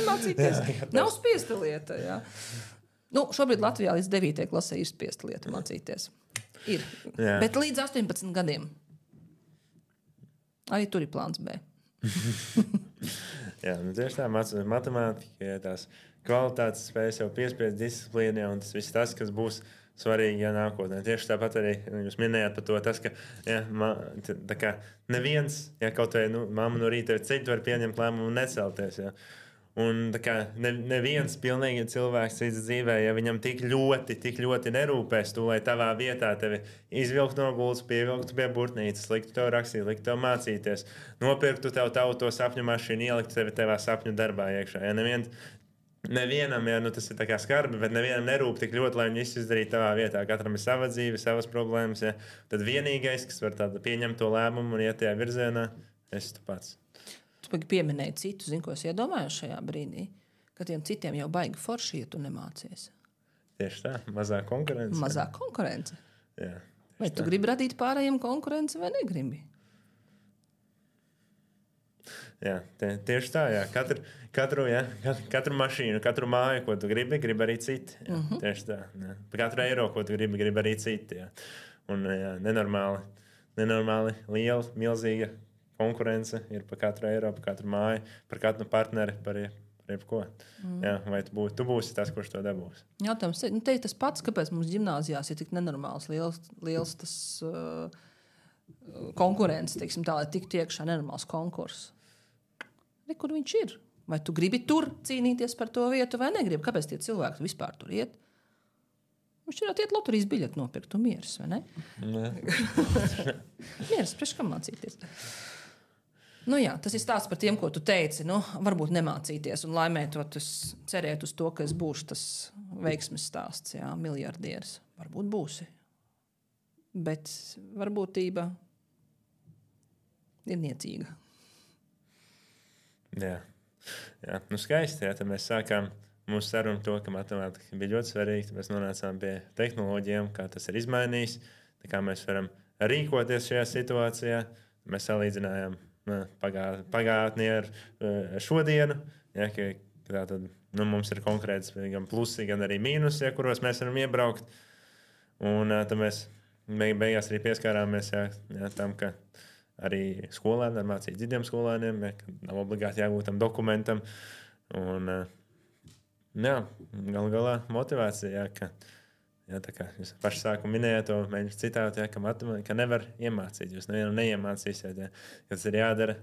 mācīties. Nav spiesta lieta. Jā. Šobrīd Latvijā līdz 9. klasē ir spiesta lieta mācīties. Ir. Jā. Bet līdz 18 gadiem. Arī tur ir plāns B.
Jā, nu tieši tā, matemātika, ja tās kvalitātes spējas jau piespiest disciplīnā, un tas viss tas, kas būs svarīgi, ja nākotnē. Tieši tāpat arī jūs minējāt par to, tas, ka ja, tā kā neviens, ja kaut vai mamma no rīta ir ceļ, var pieņemt lēmumu un necelties. Ja. Un tā kā neviens pilnīgi cilvēks cits dzīvē, ja viņam tik ļoti nerūpēs tu, lai tavā vietā tevi izvilktu no gultas, pievilktu pie burtnīcas, liktu tev rakstīt, liktu tev mācīties, nopirktu tev to sapņu mašīnu, ieliktu tevi tevā sapņu darbā iekšā. Ja nevienam, ja tas ir tā kā skarbi, bet nevienam nerūp tik ļoti, lai viņi izdarītu tavā vietā. Katram ir sava dzīve, savas problēmas. Ja. Tad vienīgais, kas var pieņemt to lēmumu un iet tajā virzienā, esi tu pats.
Tu pieminēji citu, ko es iedomājos šajā brīdī, ka tiem citiem jau baigi forši, ja tu nemācies.
Tieši tā, mazāk konkurence.
Mazāk konkurence.
Jā,
vai tu gribi radīt pārējiem konkurenci vai negribi?
Jā, tieši tā, jā. Katru mašīnu, katru māju, ko tu gribi arī citi. Jā, tieši tā. Jā. Katru eiro, ko tu gribi arī citi. Jā. Un jā, nenormāli liela, milzīga konkurence ir par katru eiro, par katru māju, par katru partneri, par jebko. Jā, vai tu būsi tas, kurš to dabūs?
Jautājums, te ir tas pats, kāpēc mums ģimnāzijās ir tik nenormāls liels tas konkurence, teiksim tā, lai tiktu iekšā nenormāls konkurss. Kur viņš ir? Vai tu gribi tur cīnīties par to vietu vai negribi? Kāpēc tie cilvēki vispār tur iet? Viņš ir iet loterijas biļeti nopirkt un mieras, vai ne? Mieras, priekš kam mācīties? Jā, tas ir stāsts par tiem, ko tu teici. Varbūt nemācīties un laimētot, cerēt uz to, ka es būšu tas veiksmes stāsts, jā, miljardieris. Varbūt būsi. Bet varbūtība ir niecīga.
Jā, skaisti. Jā, tad mēs sākām mūsu sarunu to, ka matemātika bija ļoti svarīga. Mēs nonācām pie tehnoloģijām, kā tas ir izmainījis, kā mēs varam rīkoties šajā situācijā. Mēs salīdzinājām pagātni ar šodienu. Ja, tātad, mums ir konkrēts gan plusi, gan arī mīnusi, ja, kuros mēs varam iebraukt. Un tad mēs beigās arī pieskārāmies tam, ka arī skolēni var mācīt citiem skolēniem, ja, ka nav obligāti jābūt tam dokumentam. Un, galu galā motivācija, tā kā jūs paši sākumā minējāt to mēģinājumu citātu, ka nevar iemācīt. Jūs nevienam neiemācīsiet, ka tas ir jādara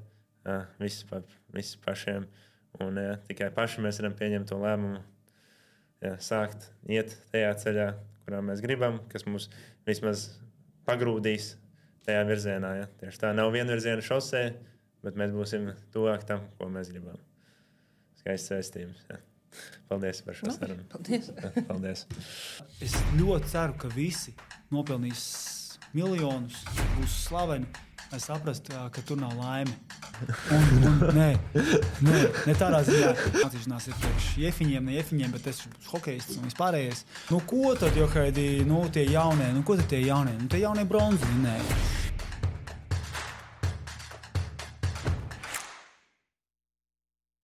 visi pašiem. Un tikai paši mēs varam pieņemt to lēmumu, sākt iet tajā ceļā, kurā mēs gribam, kas mūs vismaz pagrūdīs tajā virzienā. Ja. Tieši tā nav vienvirziena šosē, bet mēs būsim tuvāk tam, ko mēs gribam. Skaists vēstījums. Ja. Paldies par šo sarunu.
Paldies.
Paldies.
Es ļoti ceru, ka visi nopelnīs miljonus, būs slaveni, lai saprastu, ka tur nav laime. Nē, tādā ziņā. Mācīšanās ir priekš jefiņiem, ne jefiņiem, bet es esmu hokejists un vispārējais. Ko tad, Johaidī, tie jaunie? Ko tad tie jaunie? Tie jaunie bronzi vinēji.